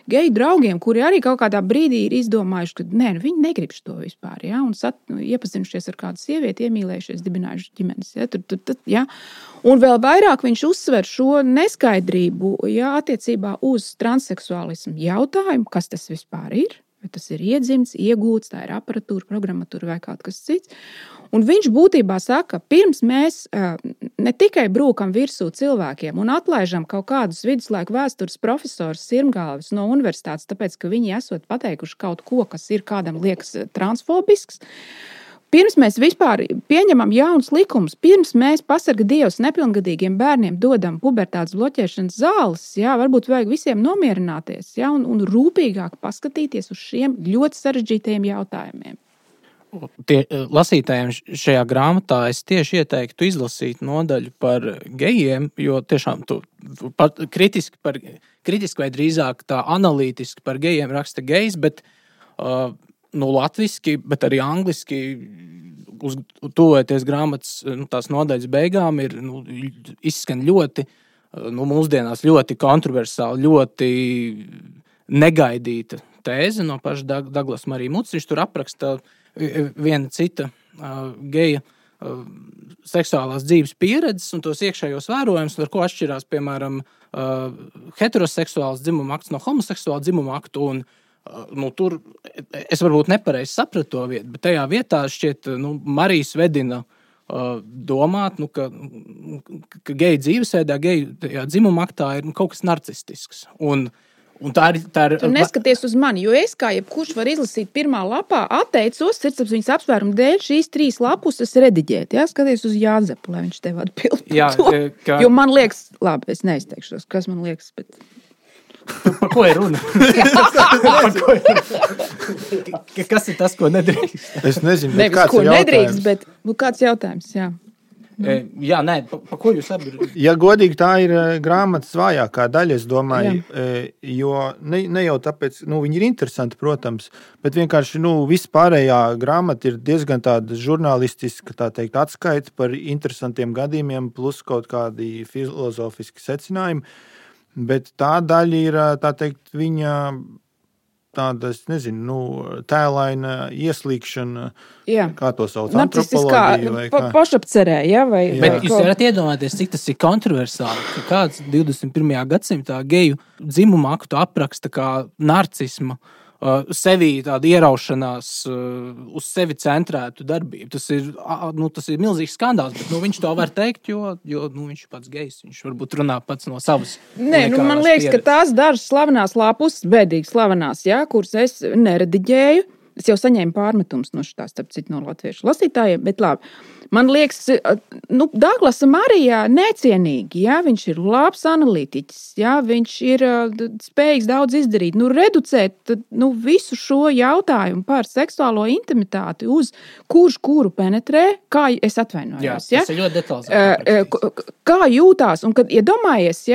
geju draugiem, kuri arī kaut kādā brīdī ir izdomājuši, ka viņi negrib to vispār. Ja? Un iepazinušies ar kādu sievieti, iemīlējušies, dibinājuši ģimenes. Ja? Ja? Un vēl vairāk viņš uzsver šo neskaidrību, ja, attiecībā uz transseksuālismu jautājumu, kas tas vispār ir. Vai tas ir iedzimts, iegūts, tā ir aparatūra, programmatūra vai kaut kas cits. Un viņš būtībā saka, pirms mēs ne tikai brūkam virsū cilvēkiem un atlaižam kaut kādus viduslaiku vēstures profesorus sirmgalvis no universitātes, tāpēc, ka viņi esot pateikuši kaut ko, kas ir kādam liekas transfobisks, pirms mēs vispār pieņemam jaunus likumus, pirms mēs pasarga Dievs nepilngadīgiem bērniem dodam pubertātes bloķēšanas zāles, jā, varbūt vajag visiem nomierināties, jā, un rūpīgāk paskatīties uz šiem ļoti sarežģītajiem jautājumiem. Lasītājiem šajā grāmatā es tieši ieteiktu izlasīt nodaļu par gejiem, jo tiešām kritiski vai drīzāk tā analītiski par gejiem raksta gejs, bet latviski, bet arī angliski tuvojoties grāmatas tās nodaļas beigām ir izskan ļoti, mūsdienās ļoti kontroversāli, ļoti negaidīta tēze no paša Douglas Marija Muts. Viņš tur apraksta viena cita geja seksuālās dzīves pieredzes un tos iekšējos vērojumus, ar ko atšķirās, piemēram, heteroseksuāls dzimuma akts no homoseksuāla dzimuma aktu. Un tur es varbūt nepareizi sapratu to vietu, bet tajā vietā šķiet Marijas vedina domāt, ka geju dzīvesveidā, geju dzimuma aktā ir kaut kas narcistisks. Un tā ir... Tu neskaties uz mani, jo es kā jebkurš var izlasīt pirmā lapā, atteicos sirdsapziņas apsvērumu dēļ šīs 3 lapuses rediģēt. Jā, skaties uz Jāzepu, lai viņš tev atbild to. Jo man liekas, labi, es neizteikšos, kas man liekas, bet... Par ko ir runa? Kas ir tas, ko nedrīkst? Es nezinu, nevis, kāds ko ir jautājums. Nedrīkst, bet kāds jautājums, jā. Jā, nē, pa ko jūs abi? Ja godīgi, tā ir grāmatas vājākā daļa, es domāju, jo ne jau tāpēc, viņi ir interesanti, protams, bet vienkārši, viss pārējā grāmata ir diezgan tāda žurnālistiska, tā teikt, atskaita par interesantiem gadījumiem, plus kaut kādi filozofiski secinājumi, bet tā daļa ir, tā teikt, viņa... tāda, es nezinu, tēlaina ieslīgšana, kā to sauc, antropoloģija vai kā. Pašapcerē, ja? Vai, bet jūs varat iedomāties, cik tas ir kontroversāli, ka kāds 21. gadsimtā geju dzimumu aktu apraksta kā narcisma, sevī tāda ieraušanās uz sevi centrētu darbību. Tas ir milzīgs skandāls, bet viņš to var teikt, jo viņš ir pats gejs. Viņš varbūt runā pats no savas. Nē, man liekas, ka tās dažas slavenās lapus, bēdīgi slavenās, kuras es nerediģēju, es jau saņēmu pārmetums no šitās, starp citu, no latviešu lasītājiem, bet labi. Man liekas, Douglasa Marijā necienīgi, viņš ir labs analītiķis, viņš ir spējīgs daudz izdarīt, reducēt visu šo jautājumu par seksuālo intimitāti uz kurš kuru penetrē, kā es atvainojos. Jā, tas ir ļoti detalizēti. Kā jūtās, un kad iedomājies,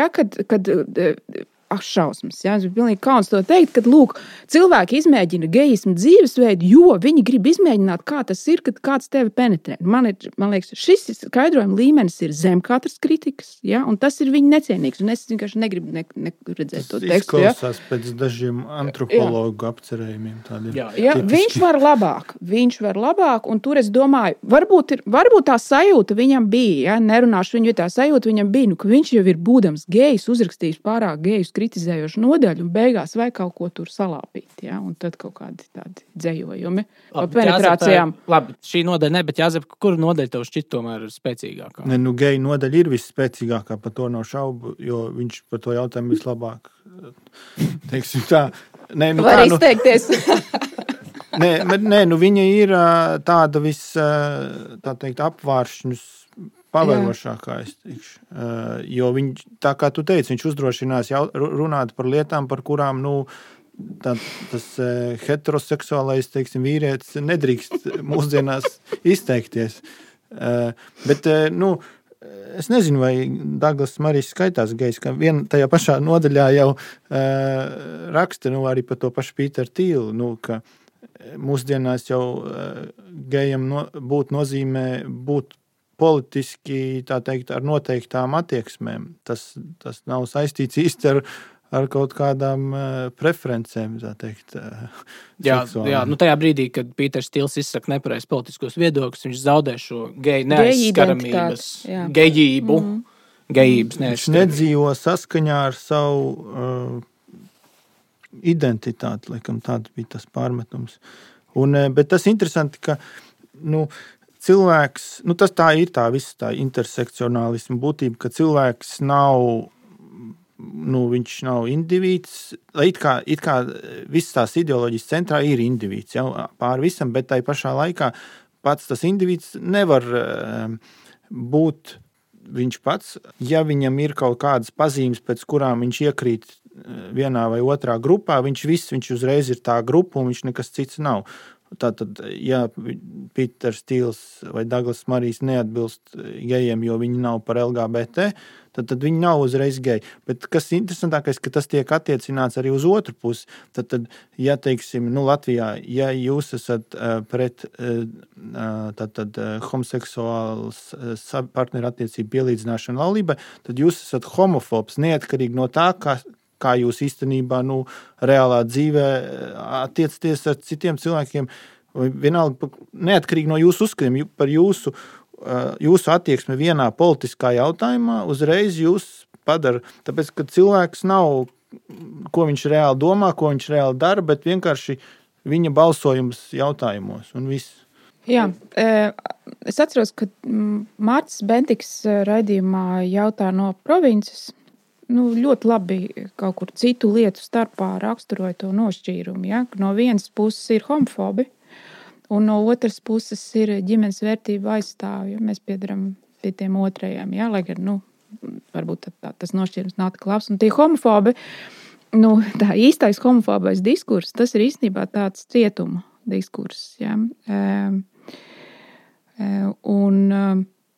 kad šausmas. Es biju pilnīgi kauns to teikt, kad, lūk, cilvēki izmēģina gejismu dzīvesveidu, jo viņi grib izmēģināt, kā tas ir, kad kāds tevi penetrē. Man liekas, šis skaidrojuma līmenis ir zem katras kritikas, un tas ir viņa necienīgs, un es vienkārši negribu redzēt to tekstu. Tas izklausās pēc dažiem antropologu apcerējumiem. Viņš var labāk, un tur es domāju, varbūt tā sajūta viņam bija, nerunāšu viņu, tā sajūta viņam bija, ka viņš jau ir būdams gejs, uzrakstījis pārāk gejus kritizējošu nodaļu un beigās vai kaut ko tur salāpīt, un tad kaut kādi tādi dzējojumi par penetrācijām. Labi, šī nodaļa ne, bet Jāzep, kura nodaļa tev šķiet tomēr spēcīgākā? Geju nodaļa ir visspēcīgākā, par to nav šaubu, jo viņš par to jautājumu vislabāk, teiksim tā. Var izteikties. Nē, viņa ir tāda tā teikt, apvāršņus pavērošākā, es teikšu. Jo tā kā tu teici, viņš uzdrošinās runāt par lietām, par kurām, tas heteroseksuālais, teiksim, vīrietis nedrīkst mūsdienās izteikties. Bet, es nezinu, vai Daglas Marijs skaitās gejs, ka tajā pašā nodaļā jau raksta, arī par to pašu Pīteru Tīlu, ka mūsdienās jau gejam būt nozīmē būt politiski, tā teikt, ar noteiktām attieksmēm. Tas nav saistīts īsti ar kaut kādām preferencēm, tā teikt. Jā, tajā brīdī, kad Pīters Tīls izsaka nepareiz politiskos viedokļus, viņš zaudē šo geju neaizskaramības, gejību, gejības neaizskaramību. Viņš nedzīvo saskaņā ar savu identitāti, laikam tāds bija tas pārmetums. Bet tas interesanti, ka, cilvēks, tas tā ir visa tā intersekcionālisma būtība, ka cilvēks nav, viņš nav indivīds, it kā visas tās ideoloģijas centrā ir indivīds, pār visam, bet tai pašā laikā pats tas indivīds nevar būt viņš pats, ja viņam ir kaut kādas pazīmes, pēc kurām viņš iekrīt vienā vai otrā grupā, viņš uzreiz ir tā grupa un viņš nekas cits nav. Tātad, ja Pīters Tīls vai Daglas Marijs neatbilst gejiem, jo viņi nav par LGBT, tad viņi nav uzreiz geji. Bet kas interesantākais, ka tas tiek attiecināts arī uz otru pusi. Tad ja, teiksim, Latvijā, ja jūs esat pret homoseksuāls partneru attiecību pielīdzināšanu laulībai, tad jūs esat homofobs, neatkarīgi no tā, kā jūs īstenībā reālā dzīvē attiecaties ar citiem cilvēkiem, vienalga neatkarīgi no jūsu uzskatiem par jūsu attieksmi vienā politiskā jautājumā, uzreiz jūs padara, tāpēc, ka cilvēks nav, ko viņš reāli domā, ko viņš reāli dara, bet vienkārši viņa balsojums jautājumos un viss. Jā, es atceros, ka Mārcis Bentiks raidījumā jautā no provinces, ļoti labi kaut kur citu lietu starpā raksturoja to nošķīrumu. Ja? No vienas puses ir homofobi, un no otras puses ir ģimenes vērtību aizstāvji. Mēs piedaram pie tiem otrajiem, ja? Lai gan, varbūt tas nošķīrums nav tik labs. Un tie homofobi, tā īstais homofobais diskurs, tas ir īstenībā tāds cietuma diskurs. Ja?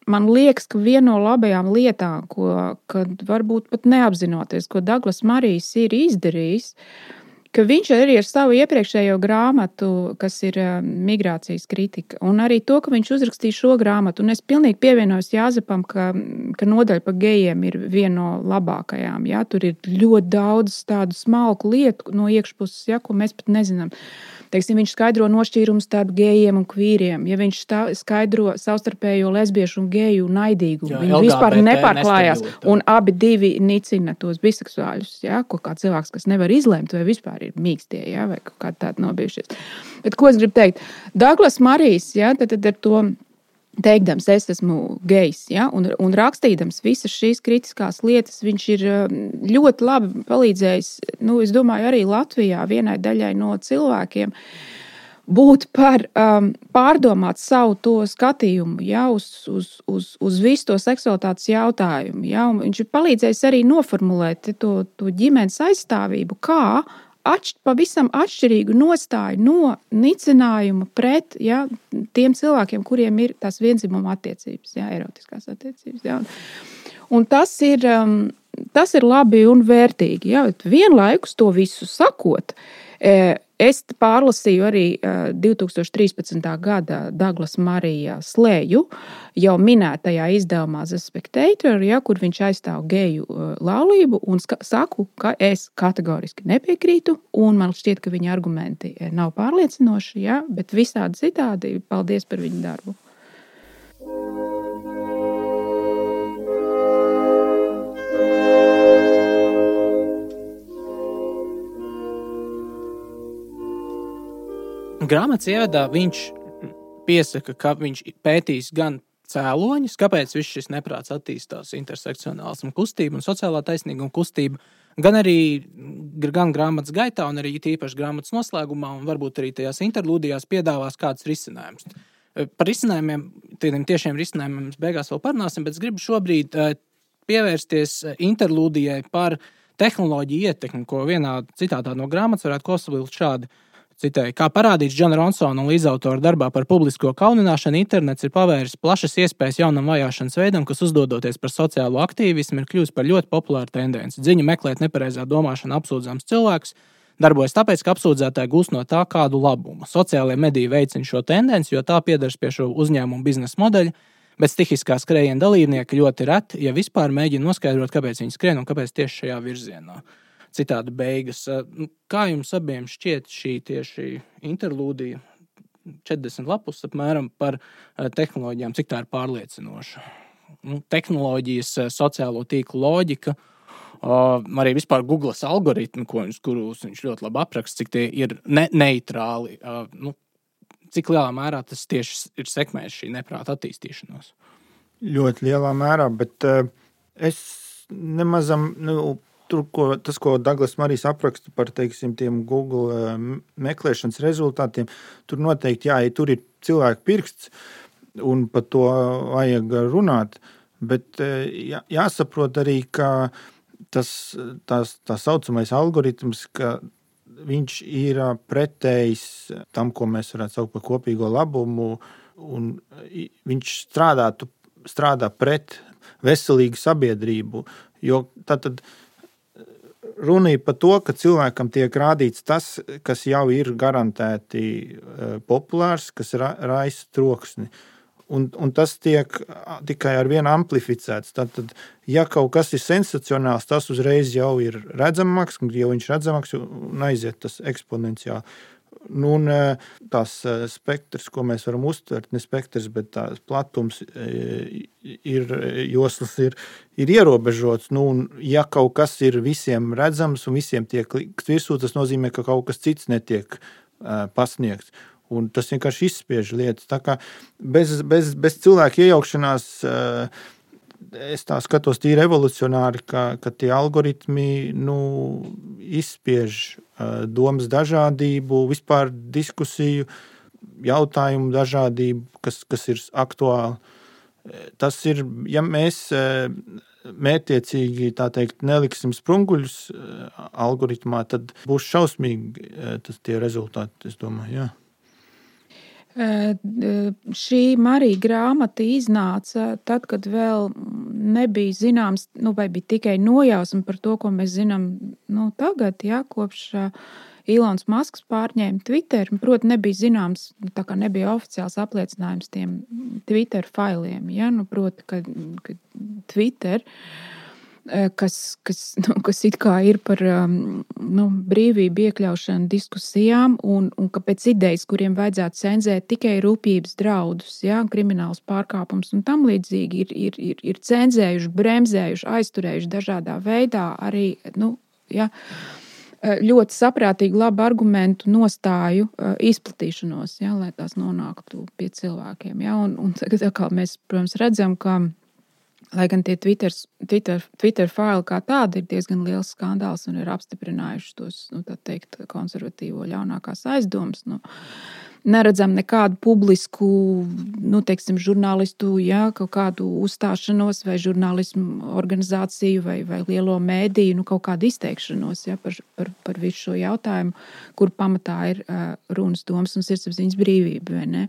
Man liekas, ka viena no labajām lietām, kad varbūt pat neapzinoties, ko Daglas Marijs ir izdarījis, ka viņš arī ar savu iepriekšējo grāmatu, kas ir migrācijas kritika, un arī to, ka viņš uzrakstīja šo grāmatu, un es pilnīgi pievienojos Jāzepam, ka nodaļa par gejiem ir viena no labākajām. Ja? Tur ir ļoti daudz tādu smalku lietu no iekšpuses, ja, ko mēs pat nezinām. Teiksim, viņš skaidro nošķīrumus starp gejiem un kvīriem. Ja viņš skaidro savstarpējo lesbiešu un geju naidīgumu, viņi vispār nepārklājās. Un abi divi nicina tos biseksuāļus, ja? Ko kā cilvēks, kas nevar izlemt, vai vispār ir mīkstie, ja? Vai kaut kā tāda nobijušies. Bet ko es gribu teikt? Daglas Marijs, ja? Tad ar to teikdams, es esmu gejs, ja? un rakstīdams visas šīs kritiskās lietas, viņš ir ļoti labi palīdzējis, es domāju, arī Latvijā vienai daļai no cilvēkiem būt pārdomāt savu to skatījumu, ja? uz visu to seksualitātes jautājumu. Ja? Un viņš ir palīdzējis arī noformulēt to ģimenes aizstāvību, kā pavisam atšķirīgu nostāju no nicinājuma pret tiem cilvēkiem, kuriem ir tās vienzimuma attiecības, erotiskās attiecības. Un tas ir labi un vērtīgi. Vienlaikus to visu sakot, es pārlasīju arī 2013. gada Daglas Marija slēju, jau minētajā izdevumā The Spectator, kur viņš aizstāv geju laulību, un saku, ka es kategoriski nepiekrītu, un man šķiet, ka viņa argumenti nav pārliecinoši, bet visādi citādi paldies par viņu darbu. Grāmatas ievadā viņš piesaka, ka viņš pētīs gan cēloņus, kāpēc viss šis neprāts attīstās intersekcionālismu kustība un sociālā taisnīguma kustība, gan arī gan grāmatas gaitā, un arī tīpaši grāmatas noslēgumā, un varbūt arī tajās interlūdijās piedāvās kāds risinājums. Par risinājumiem, tādiem tiešiem risinājumiem mēs beigās vēl parunāsim, bet es gribu šobrīd pievērsties interlūdijai par tehnoloģiju ietekmi, ko vienā citātā no grāmatas varētu kosavilkt šādi. Citēju, kā parādīts Džona Ronsona un līdzautora darbā par publisko kaunināšanu, internets ir pavēris plašas iespējas jaunam vajāšanas veidam, kas uzdodoties par sociālo aktīvismu, ir kļuvis par ļoti populāru tendenci. Dziņu meklēt nepareizā domāšana apsūdzams cilvēks darbojas tāpēc, ka apsūdzētāji gūst no tā kādu labumu. Sociālie mediji veicina šo tendenci, jo tā piedars pie šo uzņēmumu biznesa modeļa, bet stihiskā skrējiena dalībnieki ļoti reti, ja vispār mēģina noskaidrot, kāpēc viņi skrien un kāpēc tieši šajā virzienā. Citādi beigas. Kā jums abiem šķiet šī tieši interlūdija, 40 lapus apmēram par tehnoloģijām, cik tā ir pārliecinoša? Tehnoloģijas, sociālo tīklu loģika, arī vispār Googles algoritmi, kurus viņš ļoti labi apraksta, cik tie ir neitrāli. Cik lielā mērā tas tieši ir sekmējis šī neprāta attīstīšanos? Ļoti lielā mērā, bet es nemazam... Tas, ko Daglas Marijs apraksta par, teiksim, tiem Google meklēšanas rezultātiem, tur noteikti, jā, tur ir cilvēku pirksts, un par to vajag runāt, bet jāsaprot arī, ka tā saucamais algoritms, ka viņš ir pretējs tam, ko mēs varētu saukt par kopīgo labumu, un viņš strādā pret veselīgu sabiedrību, jo tātad runa ir par to, ka cilvēkam tiek rādīts tas, kas jau ir garantēti populārs, kas raisa troksni. Un tas tiek tikai ar vienu amplificēts. Tātad, ja kaut kas ir sensacionāls, tas uzreiz jau ir redzamāks, jo viņš redzamāks un aiziet tas eksponenciāli. Un tās spektrs, ko mēs varam uztvert, ne spektrs, bet tās platums joslas ir ierobežots. Un ja kaut kas ir visiem redzams un visiem tiek likt virsū, tas nozīmē, ka kaut kas cits netiek pasniegts. Un tas vienkārši izspiež lietas. Tā kā bez cilvēku iejaukšanās es tā skatos tīri evolucionāri, ka tie algoritmi izspiež domas dažādību, vispār diskusiju, jautājumu dažādību, kas ir aktuāli. Tas ir, ja mēs mērķiecīgi, tā teikt, neliksim sprunguļus algoritmā, tad būs šausmīgi tie rezultāti, es domāju, jā. Šī Marija grāmata iznāca tad, kad vēl nebija zināms, vai bija tikai nojausma par to, ko mēs zinām tagad, kopš Ilons Masks pārņēma Twitter. Proti, nebija zināms, tā kā nebija oficiāls apliecinājums tiem Twitter failiem. Proti, ka Twitter, kas it kā ir par brīvību iekļaušanu diskusijām un ka pēc idejas, kuriem vajadzētu cenzēt tikai rūpības draudus, krimināls pārkāpums un tam līdzīgi ir cenzējuši, bremzējuši, aizturējuši dažādā veidā arī, ļoti saprātīgi labu argumentu nostāju izplatīšanos, lai tās nonāktu pie cilvēkiem. Un tagad atkal mēs, protams, redzam, ka lai gan tie Twitter faili kā tādi ir diezgan liels skandāls un ir apstiprinājuši tos, tā teikt, konservatīvo ļaunākās aizdomas, neredzam nekādu publisku, teiksim, žurnālistu, kaut kādu uzstāšanos vai žurnālismu organizāciju vai lielo mēdīju, kaut kādu izteikšanos, par visu šo jautājumu, kur pamatā ir runas, domas un sirdsapziņas brīvība, vai ne?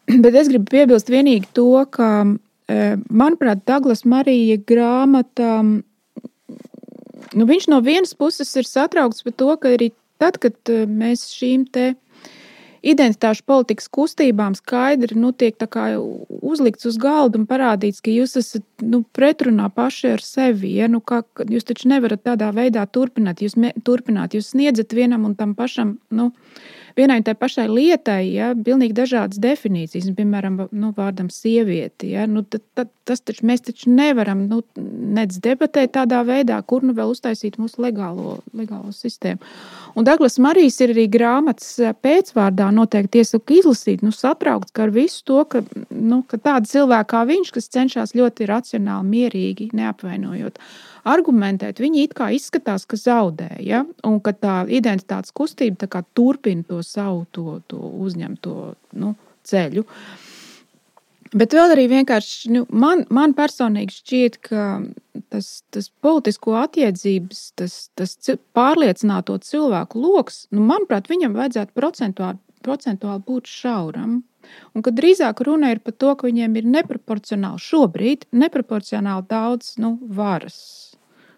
Bet es gribu piebilst vienīgi to, ka manuprāt, Daglas Marija grāmata, viņš no vienas puses ir satraukts par to, ka arī tad, kad mēs šīm te identitāšu politikas kustībām skaidri tiek tā kā uzlikts uz galda un parādīts, ka jūs esat pretrunā paši ar sevi. Jūs taču nevarat tādā veidā turpināt. Jūs sniedzat vienam un tam pašam, vienai tai pašai lietai, pilnīgi dažādas definīcijas, piemēram, vārdam sievieti, mēs taču nevaram, nec debatēt tādā veidā, kur vēl uztaisīt mūsu legālo sistēmu. Un Daglas Marijs ir arī grāmatas pēcvārdā noteikti iesaku izlasīt, satraukts ar visu to, ka tāda cilvēka kā viņš, kas cenšas ļoti racionāli, mierīgi, neapvainojot, argumentēt, viņi it kā izskatās, ka zaudē, ja? Un ka tā identitātes kustība tā kā turpina to savu to uzņemto ceļu. Bet vēl arī vienkārši man personīgi šķiet, ka tas politisko attiedzības, tas pārliecināto cilvēku loks, manuprāt, viņam vajadzētu procentuāli būt šauram. Un kad drīzāk runa ir par to, ka viņiem ir neproporcionāli daudz varas.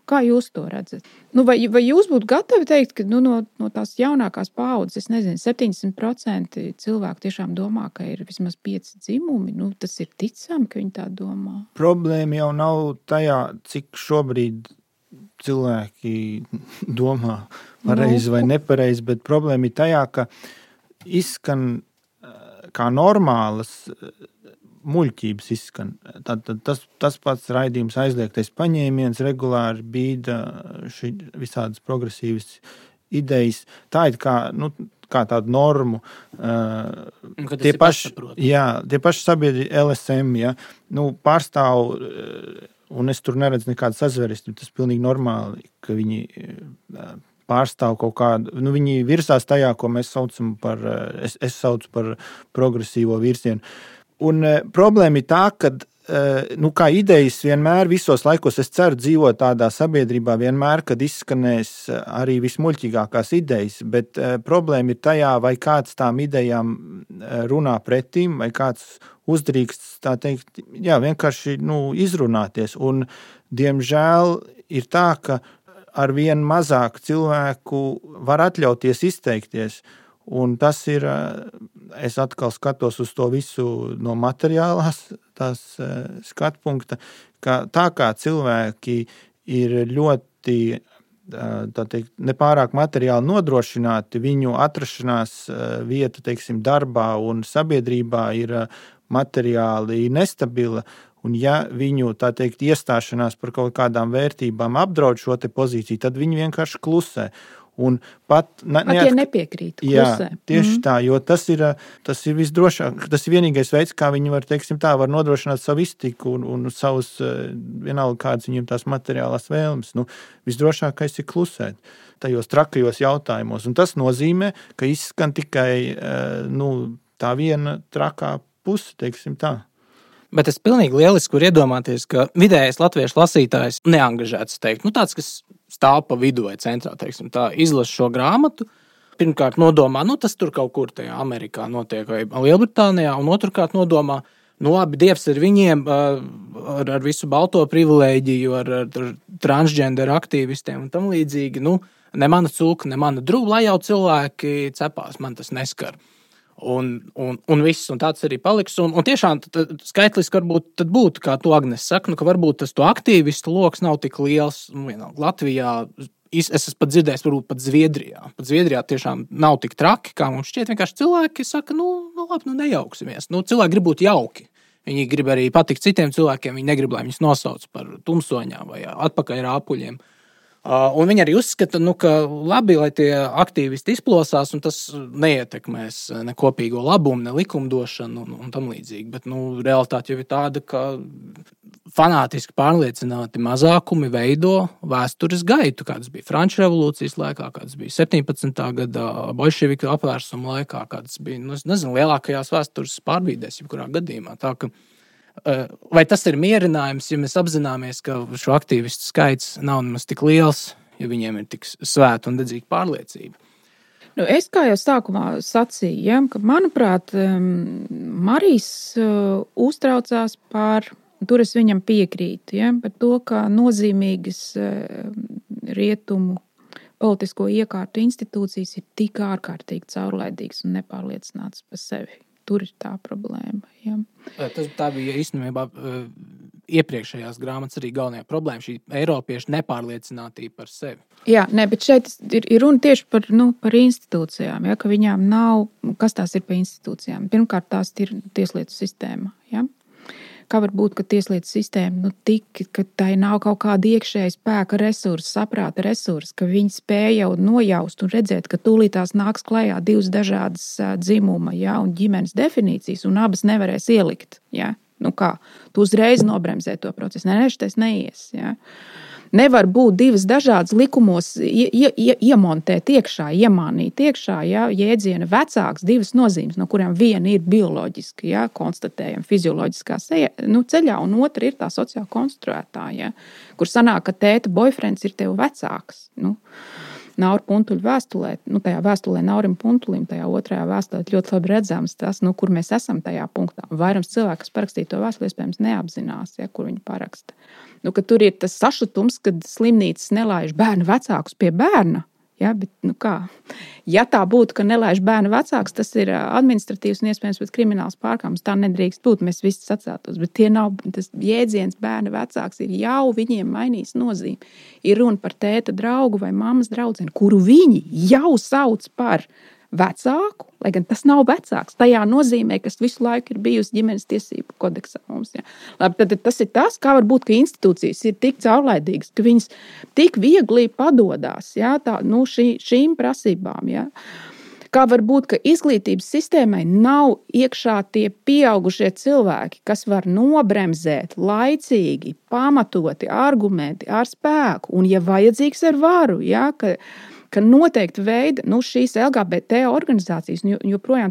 Kā jūs to redzat? Vai jūs būtu gatavi teikt, ka no tās jaunākās paaudzes, 70% cilvēku tiešām domā, ka ir vismaz 5 dzimumi? Tas ir ticami, ka viņi tā domā. Problēma jau nav tajā, cik šobrīd cilvēki domā pareizi vai nepareizi, bet problēma ir tajā, ka izskan kā normālas muļķības izskan. Tas pats raidījums aizliegtais paņēmiens regulāri bīda visādas progresīvas idejas. Tā ir kā tādu normu. Tie paši sabiedri LSM, ja, pārstāv, un es tur neredzu nekādu sazverestību, tas pilnīgi normāli, ka viņi pārstāv kaut kādu, viņi virsās tajā, ko mēs saucam par, es saucu par progresīvo virsienu. Un problēma ir tā, ka kā idejas vienmēr visos laikos, es ceru, dzīvo tādā sabiedrībā vienmēr, kad izskanēs arī vismuļķīgākās idejas, bet problēma ir tajā, vai kāds tām idejām runā pretīm, vai kāds uzdrīkst, tā teikt, vienkārši izrunāties. Un, diemžēl, ir tā, ka ar vien mazāk cilvēku var atļauties izteikties. Un tas ir, es atkal skatos uz to visu no materiālās tās skatpunkta, ka tā kā cilvēki ir ļoti, tā teikt, nepārāk materiāli nodrošināti, viņu atrašanās vieta, teiksim, darbā un sabiedrībā ir materiāli nestabila, un ja viņu, tā teikt, iestāšanās par kaut kādām vērtībām apdraud šo te pozīciju, tad viņi vienkārši klusē. Un pat nepiekrīt klusē. Jā, tieši tā, jo tas ir visdrošāk, tas ir vienīgais veids, kā viņi var, teiksim tā, var nodrošināt savu iztiku un savus, vienalga kādas viņiem tās materiālās vēlmes. Visdrošākais ir klusēt tajos trakajos jautājumos. Un tas nozīmē, ka izskan tikai, tā viena trakā puse, teiksim tā. Bet es pilnīgi lieliski var iedomāties, ka vidējais latviešu lasītājs neangažēts teikt, tāds, kas stāv pa vidu vai centrā, teiksim, tā izlasa šo grāmatu, pirmkārt nodomā, tas tur kaut kur tajā Amerikā notiek vai Lielbritānijā, un otrkārt nodomā, labi, Dievs ir viņiem ar visu balto privilēģiju, ar transgender aktīvistiem un tam līdzīgi, ne mana cūka, ne mana drūba, lai jau cilvēki cepās, man tas neskar. Un viss, un tāds arī paliks. Un tiešām skaitliski varbūt tad būtu, kā tu, Agnes, saka, ka varbūt tas to aktīvistu loks nav tik liels. Latvijā, es esmu pat dzirdējis, varbūt pat Zviedrijā. Pat Zviedrijā tiešām nav tik traki, kā mums šķiet. Vienkārši cilvēki saka, labi, nejauksimies. Cilvēki grib būt jauki. Viņi grib arī patikt citiem cilvēkiem. Viņi negrib, lai viņus nosauc par tumsoņām vai atpakaļ rāpuļiem. Un viņi arī uzskata, ka labi, lai tie aktīvisti izplosās, un tas neietekmēs ne kopīgo labumu, ne likumdošanu un tam līdzīgi. Bet realitāte jau ir tāda, ka fanātiski pārliecināti mazākumi veido vēstures gaitu, kādas bija Franču revolūcijas laikā, kādas bija 17. gada bolševiku apvērsuma laikā, kādas bija, lielākajās vēstures pārbīdēs, jebkurā gadījumā. Tā ka vai tas ir mierinājums, ja mēs apzināmies, ka šo aktīvistu skaits nav nemaz tik liels, ja viņiem ir tik svēta un dedzīga pārliecība? Es kā jau sākumā sacīju, ka, manuprāt, Marijs uztraucās par, tur es viņam piekrītu, par to, ka nozīmīgas rietumu politisko iekārtu institūcijas ir tik ārkārtīgi caurlaidīgas un nepārliecinātas par sevi. Tur ir tā problēma. Ja. Tā bija īstenībā iepriekšējās grāmatas arī galvenajā problēma, šī eiropiešu nepārliecinātība par sevi. Jā, bet šeit ir runa tieši par institūcijām, ka viņām nav, kas tās ir par institūcijām. Pirmkārt, tās ir tieslietu sistēma, Kā var būt, ka tieslietu sistēma ka tai nav kaut kāda iekšēja spēka resursa, saprāta resursa, ka viņi spēja jau nojaust un redzēt, ka tūlītās nāks klajā divas dažādas dzimuma, ja, un ģimenes definīcijas, un abas nevarēs ielikt. Ja. Kā? Tu uzreiz nobremzē to procesu. Šitais neies. Ja. Nevar būt divas dažādas likumos iemontēt iekšā, iemānīt iekšā, ja, jēdziena vecāks, divas nozīmes, no kurām viena ir bioloģiska, ja, konstatējama fizioloģiskā ceļā, un otra ir tā sociāli konstruētā, ja, kur sanāk, ka tēta boyfriends ir tev vecāks. Naura Puntuļa vēstulē, tajā vēstulē Naurim Puntulim, tajā otrajā vēstulē ļoti labi redzams tas, kur mēs esam tajā punktā. Vairums cilvēku, kas parakstīja to vēstuli, iespējams neapzinās, ja, kur viņi paraksta. Ka tur ir tas sašutums, kad slimnīcas nelaiž bērnu vecākus pie bērna. Ja, bet, ja tā būtu, ka nelaiž bērnu vecāks, tas ir administratīvs un iespējams pat krimināls pārkāpums. Tā nedrīkst būt, mēs visi sacētos. Bet tie nav, tas jēdziens bērnu vecāks ir jau viņiem mainījis nozīmi. Ir runa par tēta draugu vai mammas draudzeni, kuru viņi jau sauc par vecāku, lai gan tas nav vecāks. Tajā nozīmē, kas visu laiku ir bijusi ģimenes tiesību kodeksā mums. Ja. Labi, tad tas ir tas, kā var būt, ka institūcijas ir tik caurlaidīgas, ka viņas tik viegli padodās, ja, šīm prasībām. Ja. Kā var būt, ka izglītības sistēmai nav iekšā tie pieaugušie cilvēki, kas var nobremzēt laicīgi, pamatoti, argumenti ar spēku un, ja vajadzīgs, ar varu, ja, ka noteikti veidi šīs LGBT organizācijas, joprojām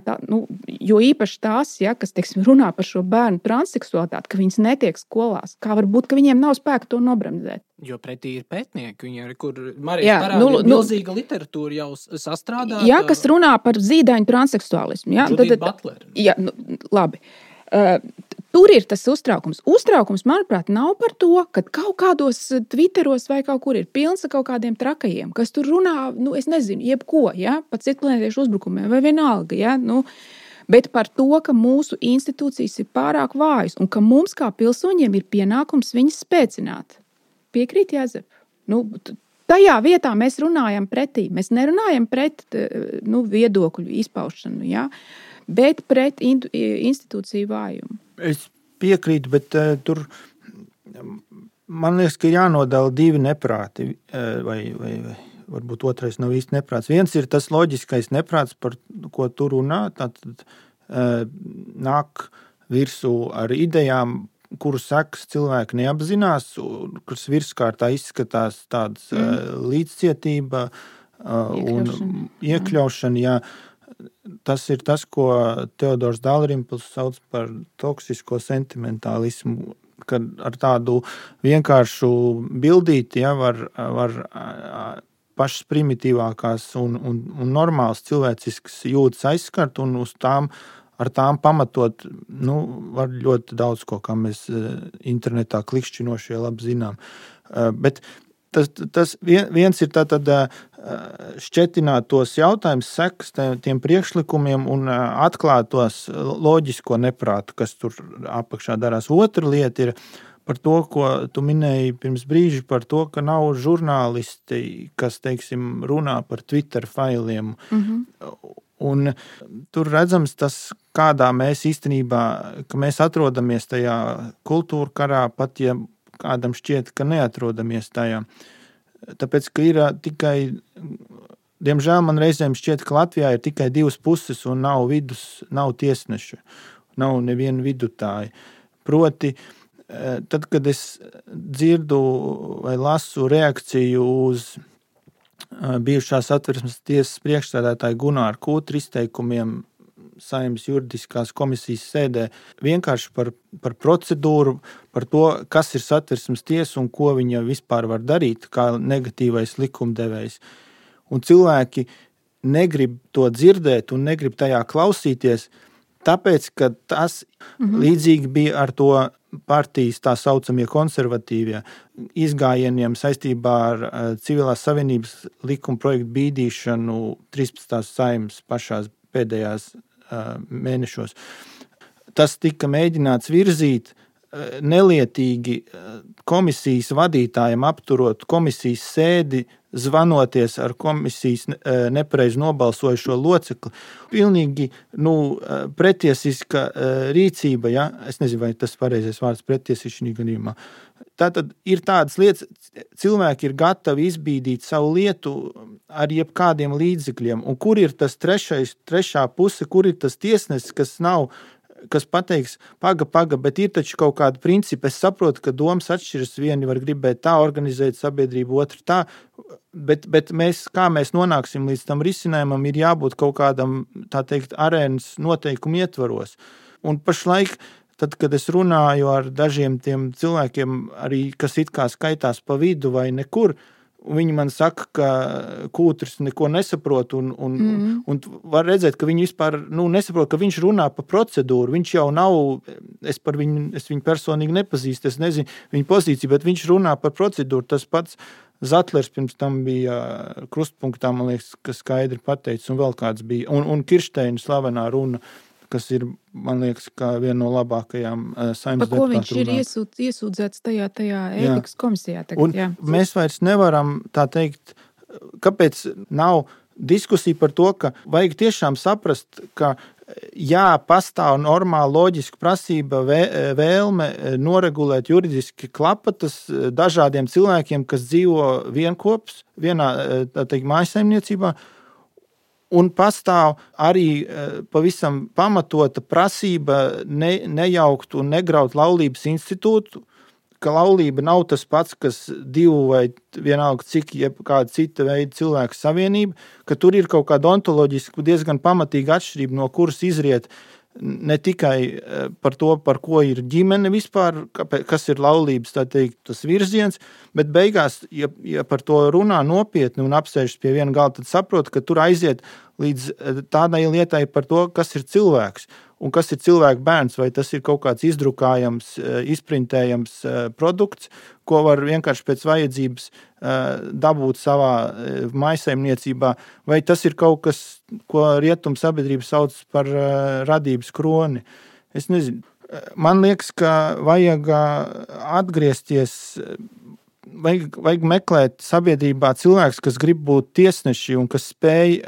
jo īpaši tās, ja, kas runā par šo bērnu transseksualitāti, ka viņas netiek skolās. Kā var būt, ka viņiem nav spēka to nobremzēt? Jo pretī ir pētnieki, viņi kur Marijas parāda milzīga literatūra jau sastrādāta. Jā, kas runā par zīdaiņu transseksuālismu. Jā, Judita Butler. Jā, labi. Tur ir tas uztraukums. Uztraukums, manuprāt, nav par to, ka kaut kādos Twitteros vai kaut kur ir pilns ar kaut kādiem trakajiem, kas tur runā, es nezinu, jebko, ja, pat citplanētiešu uzbrukumiem vai vienalga, ja, bet par to, ka mūsu institūcijas ir pārāk vājas un ka mums kā pilsoņiem ir pienākums viņas spēcināt. Piekrīt, Jāzep? Tajā vietā mēs runājam pretī. Mēs nerunājam pret viedokļu izpaušanu, ja, bet pret institūciju vājumu. Es piekrītu, bet tur man liekas, ka jānodala divi neprāti, vai varbūt otrais nav īsti neprāts. Viens ir tas loģiskais neprāts, par ko tu runā, tātad nāk virsū ar idejām, kuru sekas cilvēki neapzinās, kuras virskārtā izskatās tādas līdzcietība un iekļaušana, jā. Tas ir tas, ko Teodors Dalrimpls sauc par toksisko sentimentālismu, kad ar tādu vienkāršu bildīti, ja, var pašas primitīvākās un normāls cilvēciskas jūtas aizskart un ar tām pamatot, var ļoti daudz ko, kā mēs internetā klikšķinošie labi zinām. Bet tas viens ir tātad šķetināt tos jautājumus, sekas tiem priekšlikumiem un atklāt tos loģisko neprātu, kas tur apakšā darās. Otra lieta ir par to, ko tu minēji pirms brīža, par to, ka nav žurnālisti, kas, teiksim, runā par Twitter failiem. Un tur redzams tas, kādā mēs īstenībā, ka mēs atrodamies tajā kultūra karā, pat ja kādam šķiet, ka neatrodamies tajā. Tāpēc, ka ir tikai, diemžēl man reizēm šķiet, ka Latvijā ir tikai divas puses un nav vidus, nav tiesneša, nav neviena vidutāja. Proti, tad, kad es dzirdu vai lasu reakciju uz bijušās Satversmes tiesas priekšsēdētāja Gunāra Kūtra izteikumiem Saeimas juridiskās komisijas sēdē, vienkārši par procedūru, par to, kas ir Satversmes tiesa un ko viņa vispār var darīt, kā negatīvais likumdevējs. Un cilvēki negrib to dzirdēt un negrib tajā klausīties, tāpēc, ka tas līdzīgi bija ar to partijas tā saucamie konservatīvie izgājieniem saistībā ar civilās savienības likuma projektu bīdīšanu 13. Saeimas pašās pēdējās mēnešos. Tas tika mēģināts virzīt nelietīgi komisijas vadītājiem apturot komisijas sēdi, zvanoties ar komisijas nepareizi nobalsojušo locekli. Pilnīgi pretiesiska rīcība, ja? Es nezinu, vai tas pareizais vārds pretiesišķi gadījumā. Tātad ir tādas lietas, cilvēki ir gatavi izbīdīt savu lietu ar jebkādiem līdzekļiem. Un kur ir tas trešā puse, kur ir tas tiesnesis, kas pateiks, paga, bet ir taču kaut kāda principa. Es saprotu, ka domas atšķiras, vieni var gribēt tā organizēt sabiedrību, otru tā, bet kā mēs nonāksim līdz tam risinājumam, ir jābūt kaut kādam, tā teikt, arēnas noteikumu ietvaros. Un pašlaik, tad, kad es runāju ar dažiem tiem cilvēkiem, arī, kas it kā skaitās pa vidu vai nekur, viņi man saka, ka Kūtris neko nesaprot un var redzēt, ka viņi vispār nesaprot, ka viņš runā pa procedūru. Viņš jau nav, es viņu personīgi nepazīstu, es nezinu viņa pozīciju, bet viņš runā par procedūru. Tas pats Zatlers pirms tam bija krustpunktā, man liekas, kas skaidri pateicis, un vēl kāds bija. Un Kiršteina slavenā runa, kas ir, man liekas, kā viena no labākajām saimnes deputātu runām. Par ko viņš ir iesūdzēts tajā ētikas komisijā tagad, jā. Mēs vairs nevaram, tā teikt, kāpēc nav diskusija par to, ka vajag tiešām saprast, ka pastāv normāla loģiska prasība vēlme noregulēt juridiski klapatas dažādiem cilvēkiem, kas dzīvo vienkops, vienā, tā teikt, mājsaimniecībā, un pastāv arī pavisam pamatota prasība nejaukt un negraut laulības institūtu, ka laulība nav tas pats, kas divu vai vienalga cik kāda cita veida cilvēku savienība, ka tur ir kaut kāda ontoloģiski diezgan pamatīga atšķirība, no kuras izriet ne tikai par to, par ko ir ģimene vispār, kas ir laulības, tā teikt, tas virziens, bet beigās, ja par to runā nopietni un apsēžas pie viena galda, tad saprot, ka tur aiziet līdz tādai lietai par to, kas ir cilvēks un kas ir cilvēka bērns, vai tas ir kaut kāds izdrukājams, izprintējams produkts, ko var vienkārši pēc vajadzības dabūt savā mājsaimniecībā, vai tas ir kaut kas, ko rietumu sabiedrība sauc par radības kroni. Es nezinu. Man liekas, ka vajag atgriezties, vajag meklēt sabiedrībā cilvēks, kas grib būt tiesneši un kas spēj,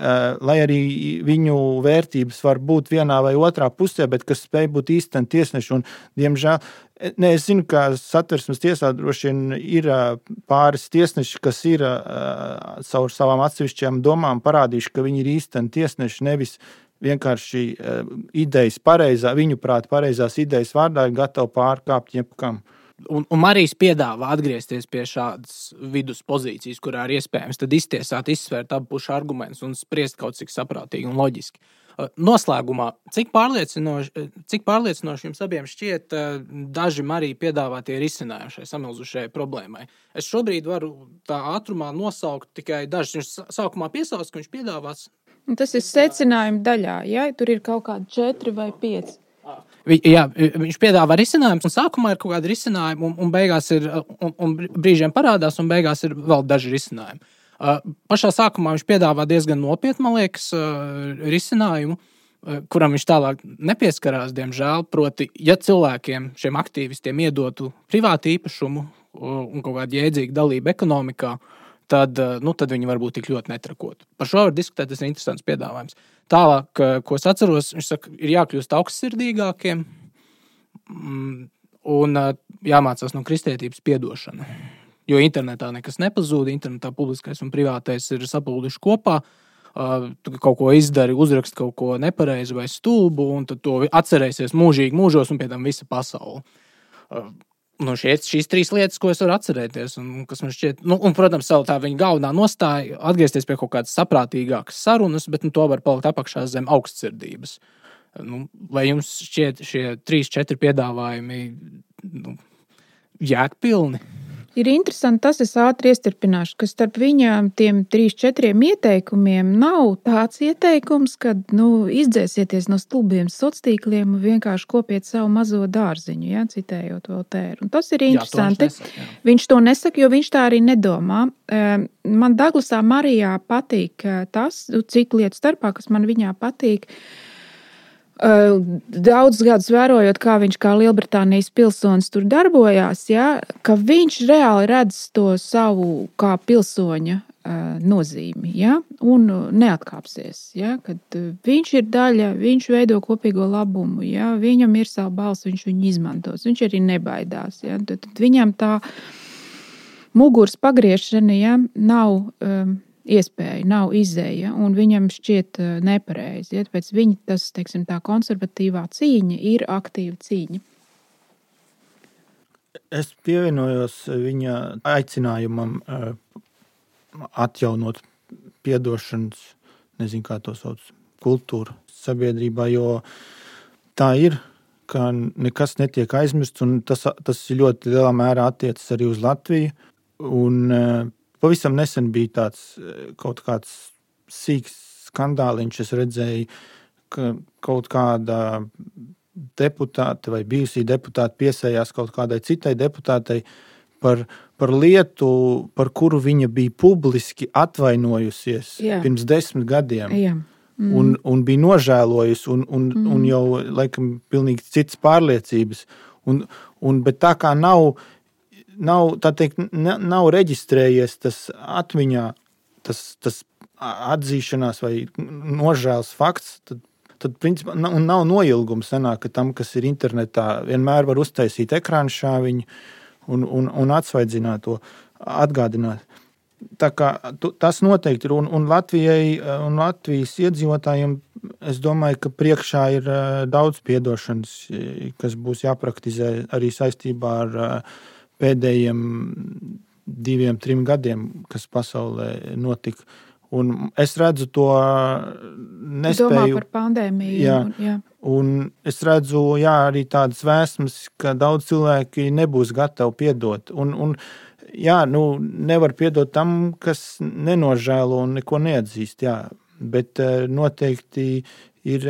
lai arī viņu vērtības var būt vienā vai otrā pusē, bet kas spēj būt īsteni tiesneši. Un, diemžēl, es zinu, ka Satversmes tiesā droši vien ir pāris tiesneši, kas ir caur savām atsevišķajām domām parādījuši, ka viņi ir īsteni tiesneši, nevis vienkārši idejas viņuprāt pareizās idejas vārdā ir gatavi pārkāpt jebkam. Un Marijs piedāvā atgriezties pie šādas vidus pozīcijas, kurā ir iespējams tad iztiesāt, izsvērt abu pušu argumentus un spriest kaut cik saprātīgi un loģiski. Noslēgumā, cik pārliecinoši jums abiem šķiet daži Marija piedāvātie risinājumi šai samilzušajai problēmai? Es šobrīd varu tā ātrumā nosaukt tikai dažus. Viņš sākumā piesauc, ka viņš piedāvās. Tas ir secinājuma daļā, ja? Tur ir kaut kādi 4 vai 5. Jā, viņš piedāvā risinājumus, un sākumā ir kaut kādi risinājumi, un beigās ir, un brīžiem parādās, un beigās ir vēl daži risinājumi. Pašā sākumā viņš piedāvā diezgan nopietnu, man liekas, risinājumu, kuram viņš tālāk nepieskarās, diemžēl, proti, ja cilvēkiem, šiem aktīvistiem iedotu privātu īpašumu un kaut kādu jēdzīgu dalību ekonomikā, tad viņi varbūt tik ļoti netrakotu. Par šo var diskutēt, tas ir interesants piedāvājums. Tālāk, ko es atceros, viņš saka, ir jākļūst augstsirdīgākiem un jāmācās no kristietības piedošana. Jo internetā nekas nepazūd, internetā publiskais un privātais ir sapulduši kopā, tu kaut ko izdari, uzrakst kaut ko nepareizi vai stulbu, un tad to atcerēsies mūžīgi mūžos un pie tam visa pasaule. Šīs 3 lietas, ko es varu atcerēties, un kas man šķiet, un, protams, tā viņa galvenā nostāja atgriezties pie kaut kādas saprātīgākas sarunas, bet to var palikt apakšā zem augstsirdības. Vai jums šķiet šie 3-4 piedāvājumi jēgpilni? Ir interesanti tas, es ātri iestarpināšu, ka starp viņām tiem 3-4 ieteikumiem nav tāds ieteikums, ka izdzēsieties no stulbiem sociāliem un vienkārši kopiet savu mazo dārziņu, ja, citējot Voltēru. Un tas ir interesanti. Jā, viņš to nesaka, jo viņš tā arī nedomā. Man Daglasā Marijā patīk tas, citu lietu starpā, kas man viņā patīk. Daudz gadus vērojot, kā viņš kā Lielbritānijas pilsonis tur darbojās, ja, ka viņš reāli redz to savu kā pilsoņa nozīmi, ja, un neatkāpsies. Ja, kad viņš ir daļa, viņš veido kopīgo labumu, ja, viņam ir savu balsi, viņš viņu izmantos, viņš arī nebaidās. Ja, tad viņam tā muguras pagriešana, ja, nav iespēja, nav izēja, un viņam šķiet nepareizi. Ja, tāpēc viņa tas, teiksim, tā konservatīvā cīņa ir aktīva cīņa. Es pievienojos viņa aicinājumam atjaunot piedošanas, nezinu, kā to sauc, kultūru sabiedrībā, jo tā ir, ka nekas netiek aizmirsts, un tas ļoti lielā mērā attiecas arī uz Latviju. Un pavisam nesen bija tāds kaut kāds sīks skandāliņš, es redzēju, ka kaut kāda deputāte vai bijusī deputāte piesējās kaut kādai citai deputātei par lietu, par kuru viņa bija publiski atvainojusies pirms 10 gadiem. Un bija nožēlojusi un jau laikam pilnīgi citas pārliecības. Bet tā kā nav tā teikt, nav reģistrējies tas atmiņā, tas atzīšanās vai nožēlas fakts, tad principā nav noilgums sanāk, ka tam, kas ir internetā, vienmēr var uztaisīt ekrānu šāviņu un atsvaidzināt to, atgādināt. Tā kā tas noteikti ir, un Latvijai un Latvijas iedzīvotājiem, es domāju, ka priekšā ir daudz piedošanas, kas būs jāpraktizē arī saistībā ar pēdējiem 2-3 gadiem, kas pasaulē notika. Un es redzu to nespēju. Domā par pandēmiju. Jā. Un es redzu, arī tādas vēsmas, ka daudz cilvēki nebūs gatavi piedot. Un nevar piedot tam, kas nenožēlo un neko neatzīst. Jā. Bet noteikti ir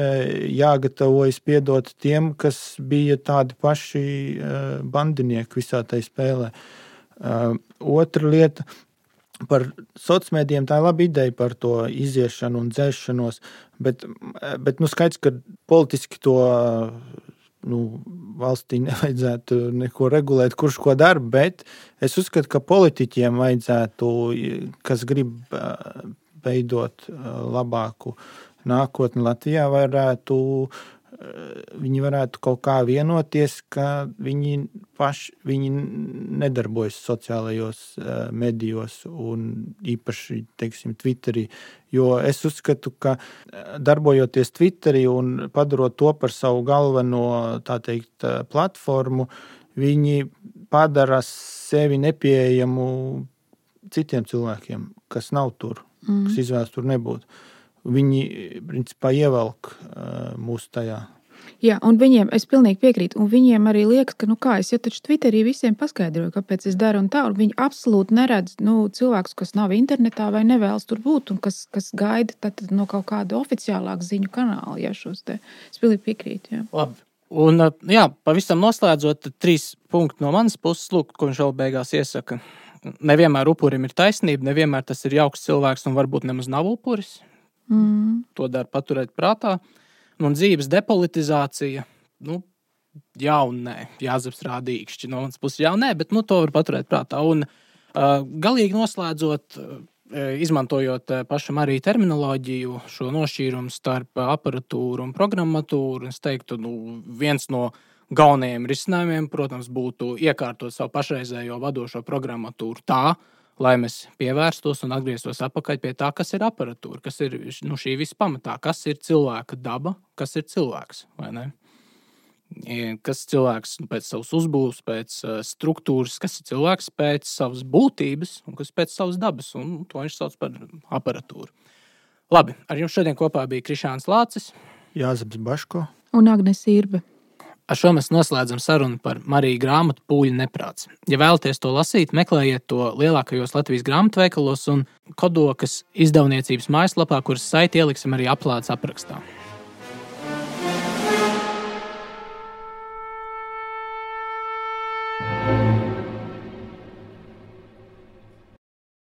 jāgatavojas piedot tiem, kas bija tādi paši bandinieki visā tai spēlē. Otra lieta. Par sociālmedijiem tā ir laba ideja par to iziešanu un dzēšanos, bet skaidrs, ka politiski to valstī nevajadzētu neko regulēt, kurš ko dara, bet es uzskatu, ka politiķiem vajadzētu, kas grib veidot labāku nākotni Latvijā, viņi varētu kaut kā vienoties, ka viņi nedarbojas sociālajos medijos un īpaši, teiksim, Twitterī. Jo es uzskatu, ka darbojoties Twitterī un padarot to par savu galveno, tā teikt, platformu, viņi padara sevi nepieejamu citiem cilvēkiem, kas nav tur, kas izvēlas tur nebūt. Viņi, principā, ievelk mūsu tajā. Jā, un viņiem, es pilnīgi piekrītu, un viņiem arī liekas, ka, es jau taču Twitterī visiem paskaidroju, kāpēc es daru un tā, un viņi absolūti neredz, cilvēkus, kas nav internetā vai nevēlas tur būt, un kas gaida tad no kaut kāda oficiālāka ziņu kanāla, šos te. Es pilnīgi piekrītu, jā. Labi. Un, pavisam noslēdzot 3 punkti no manas puses, lūk, ko viņš vēl beigās iesaka. Nevienmēr upurim ir taisnība, nevienmēr tas ir jauks cilvēks un varbūt nemaz nav upuris. To dara paturēt prātā. Un dzīves depolitizācija, jā un nē. Jāzeps rādīkšķi no manas puses jā un nē, bet to var paturēt prātā. Un galīgi noslēdzot, izmantojot pašam arī terminoloģiju, šo nošķīrumu starp aparatūru un programmatūru, es teiktu, viens no galvenajiem risinājumiem, protams, būtu iekārtot savu pašreizējo vadošo programmatūru tā, lai mēs pievērstos un atgrieztos atpakaļ pie tā, kas ir aparatūra, kas ir šī visa pamatā, kas ir cilvēka daba, kas ir cilvēks, vai ne? Kas ir cilvēks pēc savas uzbūves, pēc struktūras, kas ir cilvēks pēc savas būtības un kas pēc savas dabas, un to viņš sauc par aparatūru. Labi, ar jums šodien kopā bija Krišāns Lācis, Jāzeps Baško un Agnes Irbe. Ar šo mēs noslēdzam sarunu par Mariju grāmatu Pūļu neprāts. Ja vēlaties to lasīt, meklējiet to lielākajos Latvijas grāmatveikalos un Kodokas izdevniecības mājaslapā, kuras saiti ieliksim arī aplādes aprakstā.